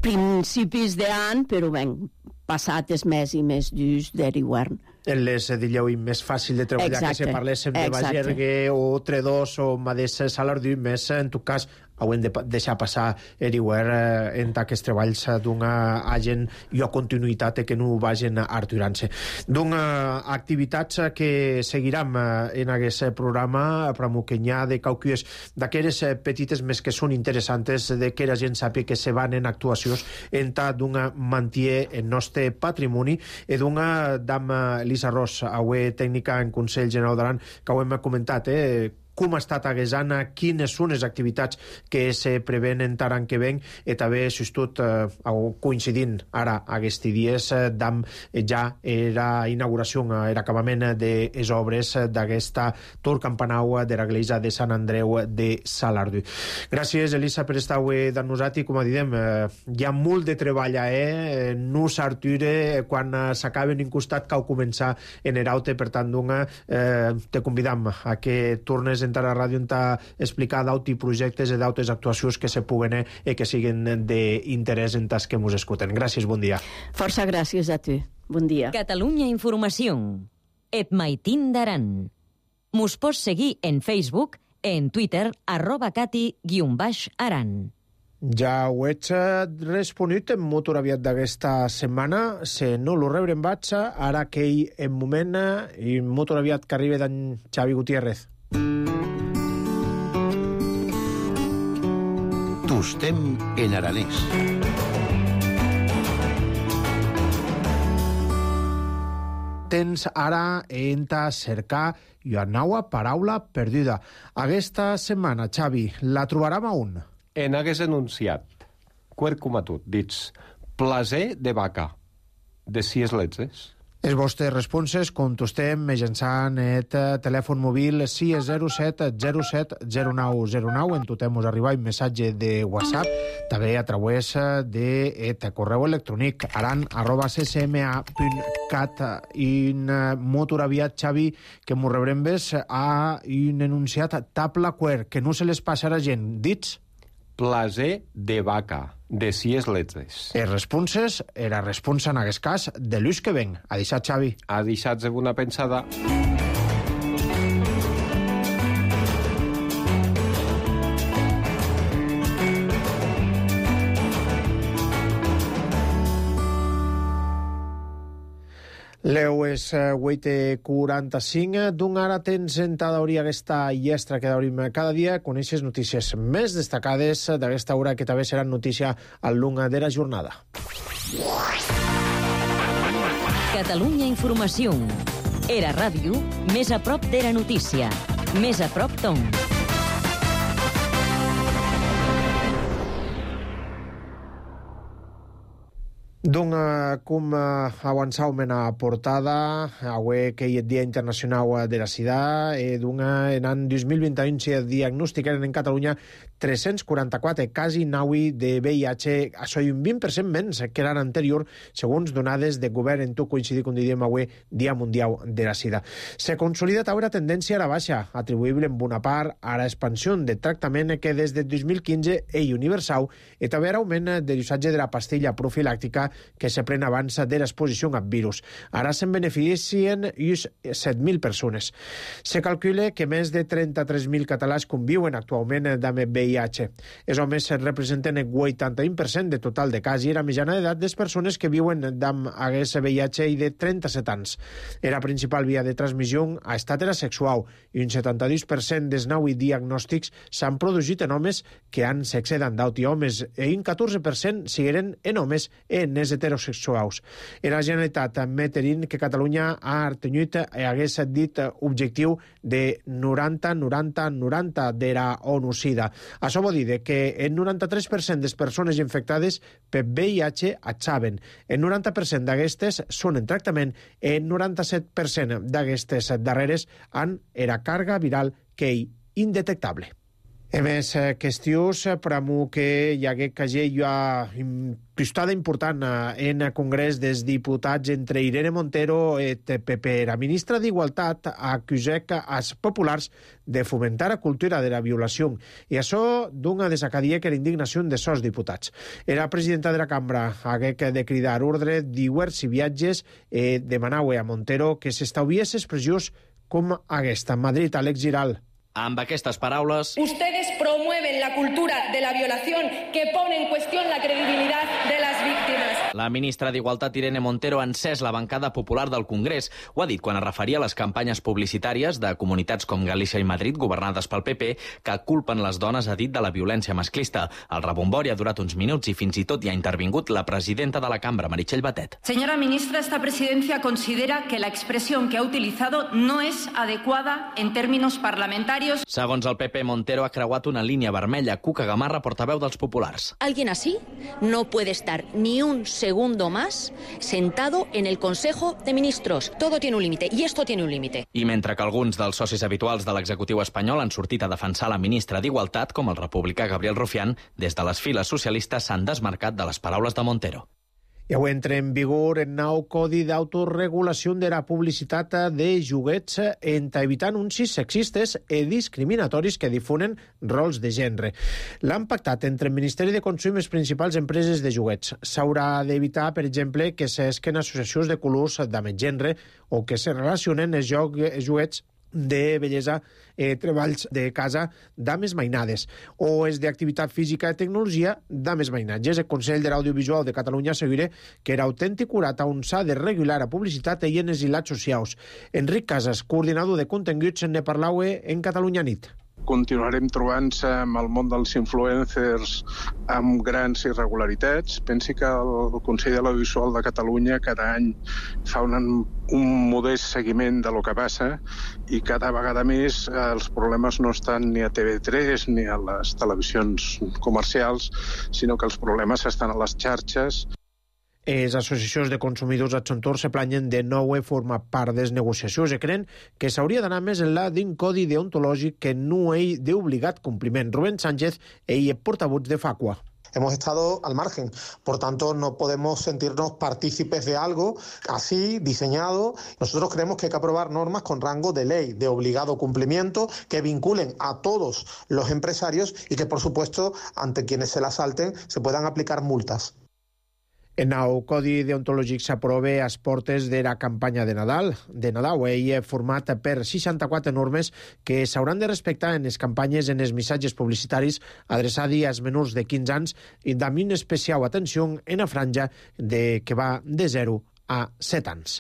Speaker 10: principis d'any, però ben passat els més i més durs de l'hivern.
Speaker 1: Les dieu més fàcil de treballar, que se parléssim de Bagergue o Tredós o Madès Salardú, més en tot cas haurem de deixar passar l'hivern en aquests treballs d'una agent i a continuïtat que no vagin arturant-se. Activitats que seguirem en aquest programa, però que n'hi ha de cauques d'aquelles petites més que són interessants de que la gent sàpiga que se van en actuacions en tant mantier el nostre patrimoni i dam Elisa Ros, avui tècnica en Consell General d'Aran, que ho hem comentat, com ha estat aquest any, quines són les activitats que se preven en l'any que ven, i també, si tot coincidint ara aquests dies, ja era inauguració, era acabament de les obres d'aquesta tor campanau de l'església de Sant Andreu de Salardú. Gràcies, Elisa, per estar avui amb nosaltres. Com diem, hi ha molt de treball, no s'arture quan s'acaben en costat cal començar en eraute, per tant, te convidam a que tornes entrar a la ràdio a explicar d'autres projectes i d'autres actuacions que se puguen i que siguin d'interès en tas que ens escolten. Gràcies, bon dia.
Speaker 10: Força gràcies a tu. Bon dia.
Speaker 2: Catalunya Informació. Et maitin d'Aran. Mos pots seguir en Facebook, en Twitter, @cati_aran.
Speaker 1: Ja ho ets responit molt aviat d'aquesta setmana. Se no lo rebrem vaig, ara que hi en moment i molt aviat que arriba d'en Xavi Gutiérrez.
Speaker 9: Tostem en aranès.
Speaker 1: Tens ara a cercar una nova paraula perduda. Aquesta setmana, Xavi, la trobarem a on?
Speaker 11: en hagués enunciat, quercumatut, dits, plaser de vaca, de si es letzes.
Speaker 1: Les vostres responses contestem mitjançant el telèfon mòbil 607 07 0909. En totem us arriba un missatge de WhatsApp, també a través de correu electrònic aran@ccma.cat. Un motor aviat, Xavi, que m'ho rebrem ves a un enunciat tabla quer, que no se les passarà gent. Dits?
Speaker 11: Plaser de vaca, de si es letzes.
Speaker 1: Les responses era responsa en aquest cas de l'ús que ven. Ha deixat, Xavi.
Speaker 11: Ha deixat una pensada.
Speaker 1: Leu és 8:45. D'un ara tens sentada hauria aquesta llestra que d'obrim cada dia. Coneixes notícies més destacades d'aquesta hora que també seran notícia al llarg de la jornada.
Speaker 2: Catalunya Informació. Era ràdio, més a prop d'Era Notícia. Més a prop Tom.
Speaker 1: Doncs, com avançàvem en la portada, avui que hi ha el Dia Internacional de la Sida, en l'any 2021 se diagnosticaren en Catalunya 344 casos naui de VIH, això és un 20% menys que l'any anterior, segons donades de govern, en tot coincidir, com diem avui, Dia Mundial de la Sida. Se consolida també la tendència a la baixa, atribuïble en bona part a l'expansió de tractament que des de 2015 és universal i també a l'augment de l'usatge de la pastilla profilàctica que se pren abans de l'exposició al virus. Ara se'n beneficien 7.000 persones. Se calcula que més de 33.000 catalans conviuen actualment amb VIH. Els homes representen el 81% de total de casos i la mitjana d'edat de les persones que viuen amb aquest VIH i de 37 anys. La principal via de transmissió ha estat heterosexual i un 72% dels nous diagnòstics s'han produït en homes que han sexe d'andaut i homes i un 14% sigueren en homes en els heterosexuals. La Generalitat admetent que Catalunya ha tingut hagués dit objectiu de 90-90-90 de la ONU-SIDA. Això vol dir que el 93% de les persones infectades per VIH atxaven. El 90% d'aquestes són en tractament i el 97% d'aquestes darreres han era càrrega viral que és indetectable. A més, qüestions per a que hi hagué una pistada important en el Congrés dels Diputats entre Irene Montero i PP. La ministra d'Igualtat acusà als populars de fomentar la cultura de la violació i això dona desacadia que la indignació de sos diputats. La presidenta de la cambra hagué de cridar ordre diversos viatges i demanava a Montero que s'estalviés expressions com aquesta. Madrid, Alex Giral.
Speaker 12: Amb aquestes paraules...
Speaker 13: Ustedes promueven la cultura de la violación que pone en cuestión la credibilidad de las víctimas.
Speaker 12: La ministra d'Igualtat, Irene Montero, ha encès la bancada popular del Congrés. Ho ha dit quan es referia a les campanyes publicitàries de comunitats com Galícia i Madrid, governades pel PP, que culpen les dones, ha dit, de la violència masclista. El rebombori ha durat uns minuts i fins i tot hi ha intervingut la presidenta de la cambra, Meritxell Batet.
Speaker 14: Señora ministra, esta presidencia considera que la expresión que ha utilizado no es adecuada en términos parlamentarios.
Speaker 12: Segons el PP, Montero ha creuat una línia vermella. Cuca Gamarra, portaveu dels populars.
Speaker 15: Alguien así no puede estar ni un segundo más sentado en el Consejo de Ministros. Todo tiene un límite, y esto tiene un límite.
Speaker 12: I mentre que alguns dels socis habituals de l'executiu espanyol han sortit a defensar la ministra d'Igualtat, com el republicà Gabriel Rufián, des de les files socialistes s'han desmarcat de les paraules de Montero.
Speaker 1: I avui entra en vigor el nou Codi d'Autoregulació de la Publicitat de Joguets en evitar anuncis sexistes i discriminatoris que difonen rols de gènere. L'han pactat entre el Ministeri de Consum i les principals empreses de joguets. S'haurà d'evitar, per exemple, que s'esquen associacions de colors d'ame gènere o que se relacionen els joguets de bellesa, treballs de casa dames mainades o és d'activitat física i tecnologia dames mainatges. El Consell de l'Audiovisual de Catalunya assegura que era autèntic curat on s'ha de regular la publicitat i en els hilats socials. Enric Casas, coordinador de continguts, ne parlava en Catalunya Nit.
Speaker 16: continuarem trobant-se amb el món dels influencers amb grans irregularitats. Pensi que el Consell de l'Audiovisual de Catalunya cada any fa un modest seguiment de lo que passa i cada vegada més els problemes no estan ni a TV3 ni a les televisions comercials, sinó que els problemes estan a les xarxes.
Speaker 1: Les associacions de consumidors a son torn se planyen de nou formar part de les negociacions i creen que s'hauria d'anar més enllà d'un codi deontològic que no hi d'obligat compliment. Rubén Sánchez, ell és portavoz de Facua.
Speaker 17: Hemos estado al margen, por tanto no podemos sentirnos partícipes de algo así diseñado. Nosotros creemos que hay que aprobar normas con rango de ley, de obligado cumplimiento, que vinculen a todos los empresarios y que, por supuesto, ante quienes se las salten, se puedan aplicar multas.
Speaker 1: El nou codi deontològic s'aprova a les portes de la campanya de Nadal. Ell és format per 64 normes que s'hauran de respectar en les campanyes en els missatges publicitaris adreçats als menors de 15 anys i amb una especial atenció en la franja que va de 0 a 7 anys.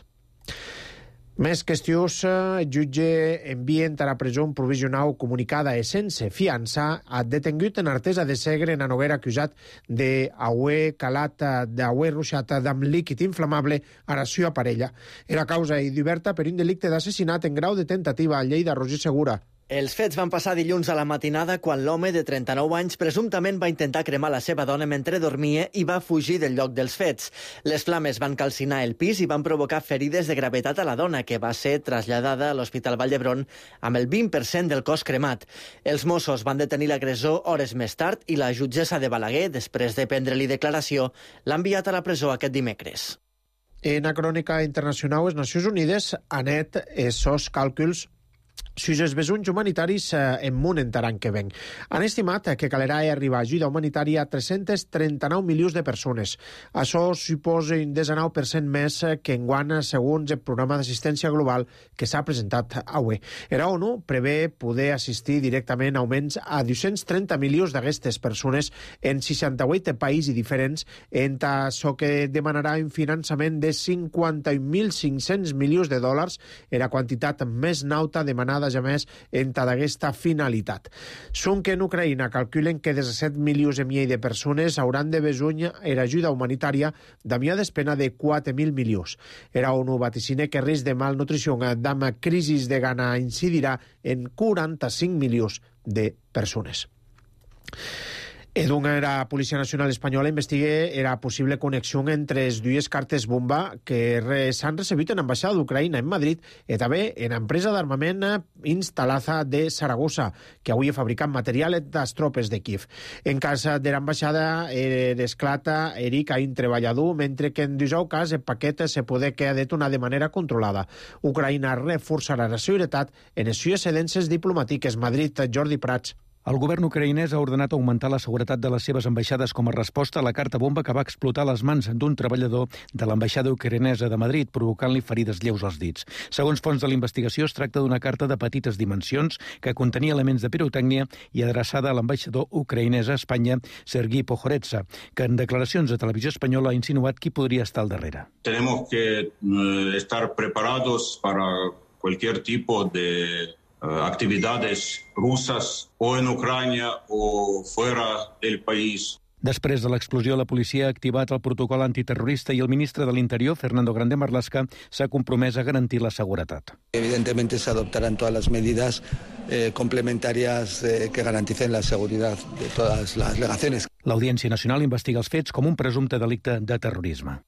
Speaker 1: Més qüestions, el jutge envia a la presó provisional comunicada i sense fiança a detengut en Artesa de Segre en Noguera acusat d'haver calat, d'haver ruixat amb líquid inflamable a la seva parella. Era causa i diverta per un delicte d'assassinat en grau de tentativa a Lleida. Roger Segura.
Speaker 18: Els fets van passar dilluns a la matinada quan l'home de 39 anys presumptament va intentar cremar la seva dona mentre dormia i va fugir del lloc dels fets. Les flames van calcinar el pis i van provocar ferides de gravetat a la dona, que va ser traslladada a l'Hospital Vall d'Hebron amb el 20% del cos cremat. Els Mossos van detenir l'agressor hores més tard i la jutgessa de Balaguer, després de prendre-li declaració, l'ha enviat a la presó aquest dimecres.
Speaker 1: En la crònica internacional, les Nacions Unides han net els seus càlculs si els vessons humanitaris en món entraran que ven. Han estimat que calerà arribar ajuda humanitària a 339 milions de persones. Això suposa un 19% més que enguany, segons el programa d'assistència global que s'ha presentat avui. La ONU prevé poder assistir directament augments a 230 milions d'aquestes persones en 68 països diferents, en això que demanarà un finançament de 51.500 milions de dòlars, la quantitat més nauta demanada ja més entre aquesta finalitat. Són que en Ucraïna calculen que 17 milions i mig de persones hauran de besonya l'ajuda humanitària d'amia d'espena de 4.000 milions. La ONU vaticina que risc de malnutrició amb crisi de gana incidirà en 45 milions de persones. La Policia Nacional Espanyola investiga la possible connexió entre les dues cartes bomba que s'han recebut en l'ambaixada d'Ucraïna en Madrid i també en l'empresa d'armament Instalaza de Saragossa, que avui ha fabricat material de les tropes de Kiev. En cas de l'ambaixada, l'esclata Eric a un treballador, mentre que en 19 cas el paquet se pot quedar detonar de manera controlada. Ucraïna reforçarà la seguretat en les seves sedències diplomàtiques. Madrid, Jordi Prats.
Speaker 19: El govern ucraïnès ha ordenat augmentar la seguretat de les seves ambaixades com a resposta a la carta bomba que va explotar a les mans d'un treballador de l'ambaixada ucraïnesa de Madrid, provocant-li ferides lleus als dits. Segons fonts de la investigació, es tracta d'una carta de petites dimensions que contenia elements de pirotècnia i adreçada a l'ambaixador ucraïnès a Espanya, Sergi Pohoretsa, que en declaracions a Televisió Espanyola ha insinuat qui podria estar al darrere.
Speaker 20: Tenemos que estar preparados para cualquier tipo de actividades rusas o en Ucrania o fuera del país.
Speaker 19: Després de l'explosió, la policia ha activat el protocol antiterrorista i el ministre de l'Interior, Fernando Grande Marlaska, s'ha compromès a garantir la seguretat.
Speaker 21: Evidentemente se adoptarán todas las medidas complementarias que garanticen la seguridad de todas las legaciones.
Speaker 19: L'Audiència Nacional investiga els fets com un presumpte delicte de terrorisme.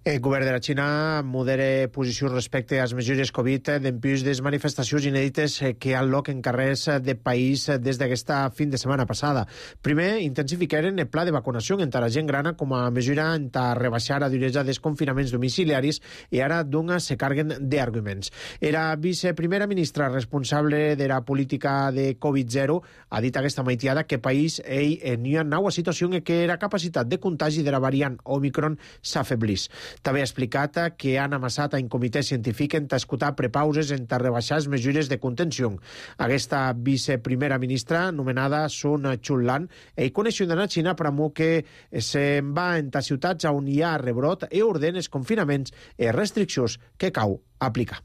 Speaker 1: El govern de la Xina modera posició respecte a les mesures Covid d'empús de les manifestacions inèdites que han lloc en carrers de país des d'aquesta fin de setmana passada. Primer, intensificaren el pla de vacunació entre la gent grana com a mesura per rebaixar la duresa dels confinaments domiciliaris i ara se carguen d'arguments. La viceprimera ministra responsable de la política de Covid-0 ha dit aquesta maitiada que país en una nova situació en què la capacitat de contagi de la variant Omicron s'afeblís. També ha explicat que han amassat a un comitè científic en escoltar prepauses en rebaixar les mesures de contenció. Aquesta viceprimera ministra, anomenada Sun Chunlan, ell coneixen a Xina per amor que se'n va en ciutats on hi ha rebrot i ordena els confinaments i restriccions que cau aplicar.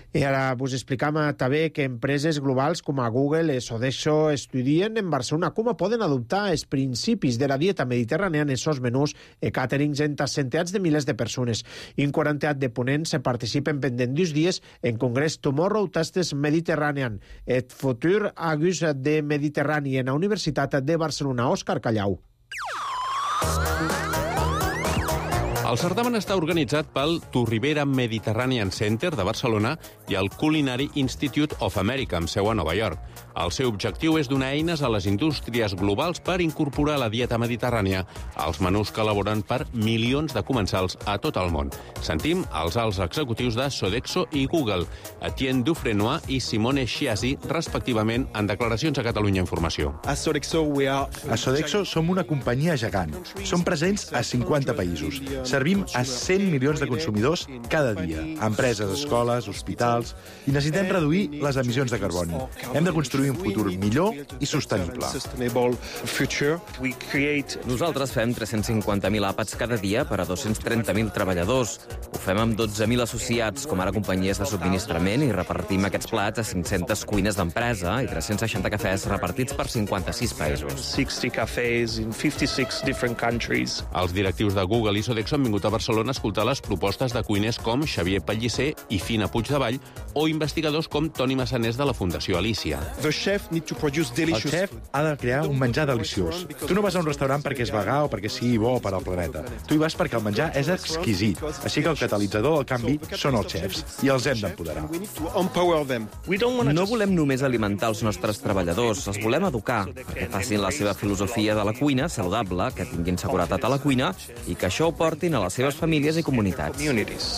Speaker 1: I ara vos explicam també que empreses globals com a Google i Sodexo estudien en Barcelona com poden adoptar els principis de la dieta mediterrània en els seus menús i càterings entre centenars de milers de persones. Un 40 de ponents participen pendent 2 dies en congrés Tomorrow Tastes Mediterranean, el futur agus de Mediterrani en la Universitat de Barcelona. Òscar Callau.
Speaker 4: El certamen està organitzat pel Turribera Mediterranean Center de Barcelona i el Culinary Institute of America, amb seu a Nova York. El seu objectiu és donar eines a les indústries globals per incorporar la dieta mediterrània als menús que elaboren per milions de comensals a tot el món. Sentim els alts executius de Sodexo i Google, Etienne Dufresnoy i Simone Schiasi, respectivament, en declaracions a Catalunya Informació.
Speaker 22: A Sodexo som una companyia gegant. Som presents a 50 països. Servim a 100 milions de consumidors cada dia, empreses, escoles, hospitals, i necessitem reduir les emissions de carboni. Hem de construir un futur millor i sostenible.
Speaker 23: Nosaltres fem 350.000 àpats cada dia per a 230.000 treballadors. Ho fem amb 12.000 associats, com ara companyies de subministrament, i repartim aquests plats a 500 cuines d'empresa i 360 cafès repartits per 56 països.
Speaker 4: 60 cafès in 56 different countries. Els directius de Google i Sodexo han vingut a Barcelona a escoltar les propostes de cuiners com Xavier Pellicer i Fina Puigdevall o investigadors com Toni Massanés de la Fundació Alícia.
Speaker 22: El xef ha de crear un menjar deliciós. Tu no vas a un restaurant perquè és vegà o perquè sigui bo per al planeta. Tu hi vas perquè el menjar és exquisit. Així que el catalitzador del canvi són els xefs i els hem d'empoderar.
Speaker 23: No volem només alimentar els nostres treballadors, els volem educar, perquè facin la seva filosofia de la cuina saludable, que tinguin seguretat a la cuina i que això ho portin a les seves famílies i comunitats.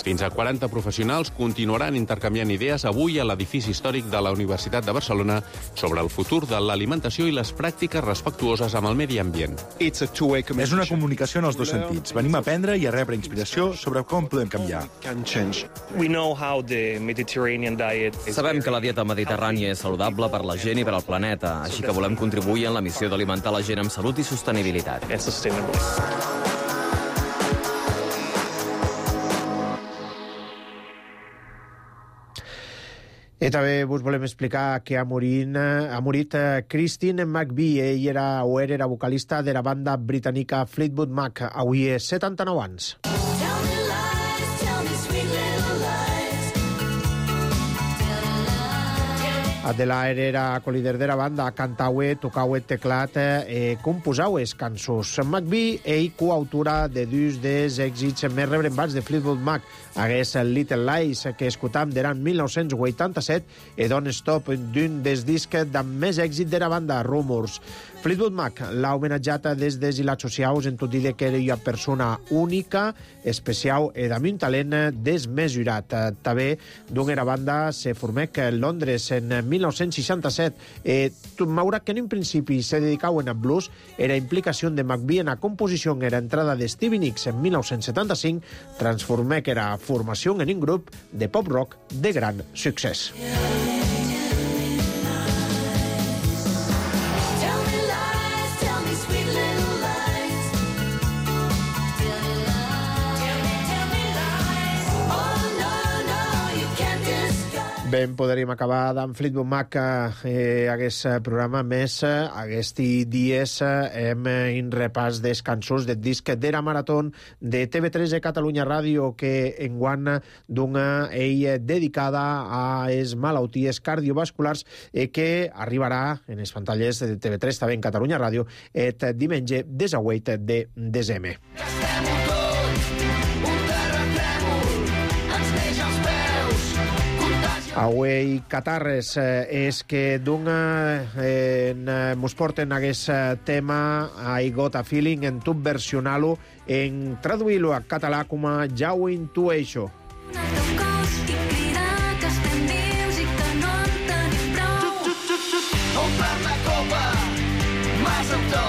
Speaker 4: Fins a 40 professionals continuaran intercanviant idees avui a l'edifici històric de la Universitat de Barcelona sobre el futur de l'alimentació i les pràctiques respectuoses amb el medi ambient.
Speaker 22: És una comunicació en els dos sentits. Venim a aprendre i a rebre inspiració sobre com podem canviar.
Speaker 23: Sabem que la dieta mediterrània és saludable per la gent i per al planeta, així que volem contribuir en la missió d'alimentar la gent amb salut i sostenibilitat.
Speaker 1: I també vos volem explicar que ha morit Christine McVie. Ell era vocalista de la banda britànica Fleetwood Mac. Avui és 79 anys. Adelaide era co-líder de la banda, cantaue, tocaue teclat, composaue cançons. McVie, ell coautora de dos dels èxits més rebrembats de Fleetwood Mac, hagués Little Lies, que escoltam d'era 1987, i Don't Stop, d'un dels discs amb més èxit de la banda, Rumors. Fleetwood Mac l'ha homenatjat des de les socials en tot dir que era una persona única, especial i amb un talent desmesurat. També d'una era banda se formèc a Londres en 1967. Maura que en un principi se dedicaven a blues, era implicació de McVie en la composició era entrada de Stevie Nicks en 1975, transformèc era formació en un grup de pop-rock de gran succés. Ben, podríem acabar d'en Fleetwood Mac aquest programa més aquests dies hem un repàs dels cançons del disc de la Marató de TV3 de Catalunya Ràdio que enguany dona ell dedicada a les malalties cardiovasculars que arribarà en les pantalles de TV3 també en Catalunya Ràdio el diumenge 18 de desembre. Avui catarres és que mos porten aquest tema I Got a Feeling en tub versionar-lo en traduir-lo a català com a Ja ho intueixo.
Speaker 24: Omple la copa, mas amb to,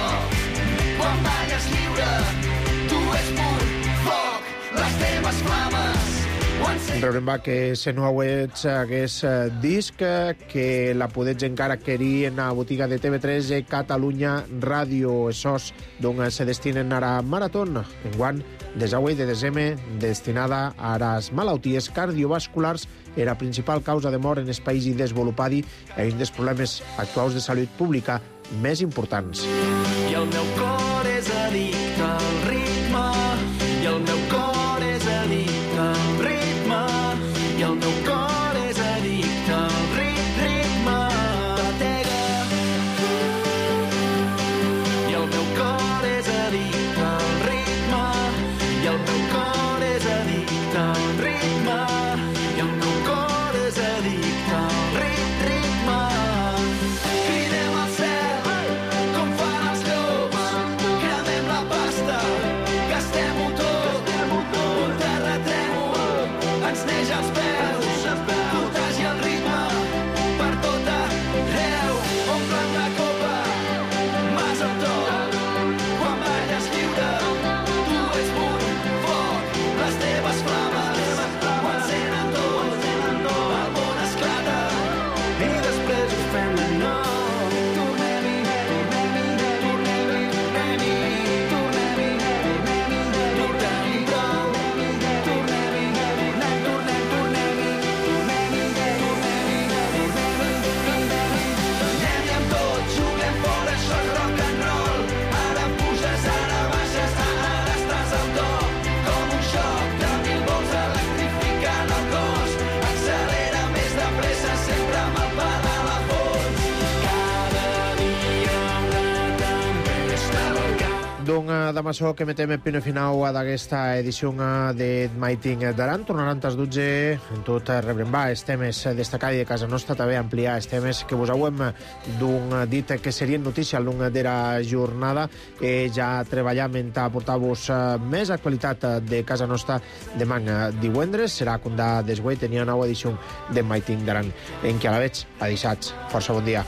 Speaker 24: quan balles lliure, tu ets pur foc, les teves flames, ho
Speaker 1: Rebrem que se no hauets hagués disc que la podets encara adquirir en la botiga de TV3 i Catalunya Ràdio. Esos doncs se destinen ara a Maratón, enguant des d'avui de desembre, destinada a les malalties cardiovasculars, era principal causa de mort en els països desenvolupats i un dels problemes actuals de salut pública més importants.
Speaker 24: I el meu cor és addicte al ritme, i el meu cor és addicte al ritme, i el meu cor és addicte al ritme. Batega. I el meu cor és addicte al ritme, i el meu cor és addicte al ritme, i el meu cor és addicte al ritme. Cridem al cel, com fan els llops, cremem la pasta, gastem-ho tot, un terratrèmol, ens neix els peus, contagi el ritme, per tot arreu, omplem la copa, mas amb tot, quan balles lliure, tu ets un foc, les teves flames, ho encenen tot, el món esclata, i després ho fem de nou.
Speaker 1: D'amaçò que metem el punt final d'aquesta edició de Maiting d'Aran. Tornaran tas 12 en tot rebrembar els temes destacats de casa nostra, també ampliar els temes que vos hauem dit que serien notícia al long de la jornada. Ja treballam en portar-vos més actualitat de casa nostra demà divendres. Serà com de desguai, tenia nova edició de Maiting d'Aran. En què a la veig, a dissats. Força bon dia.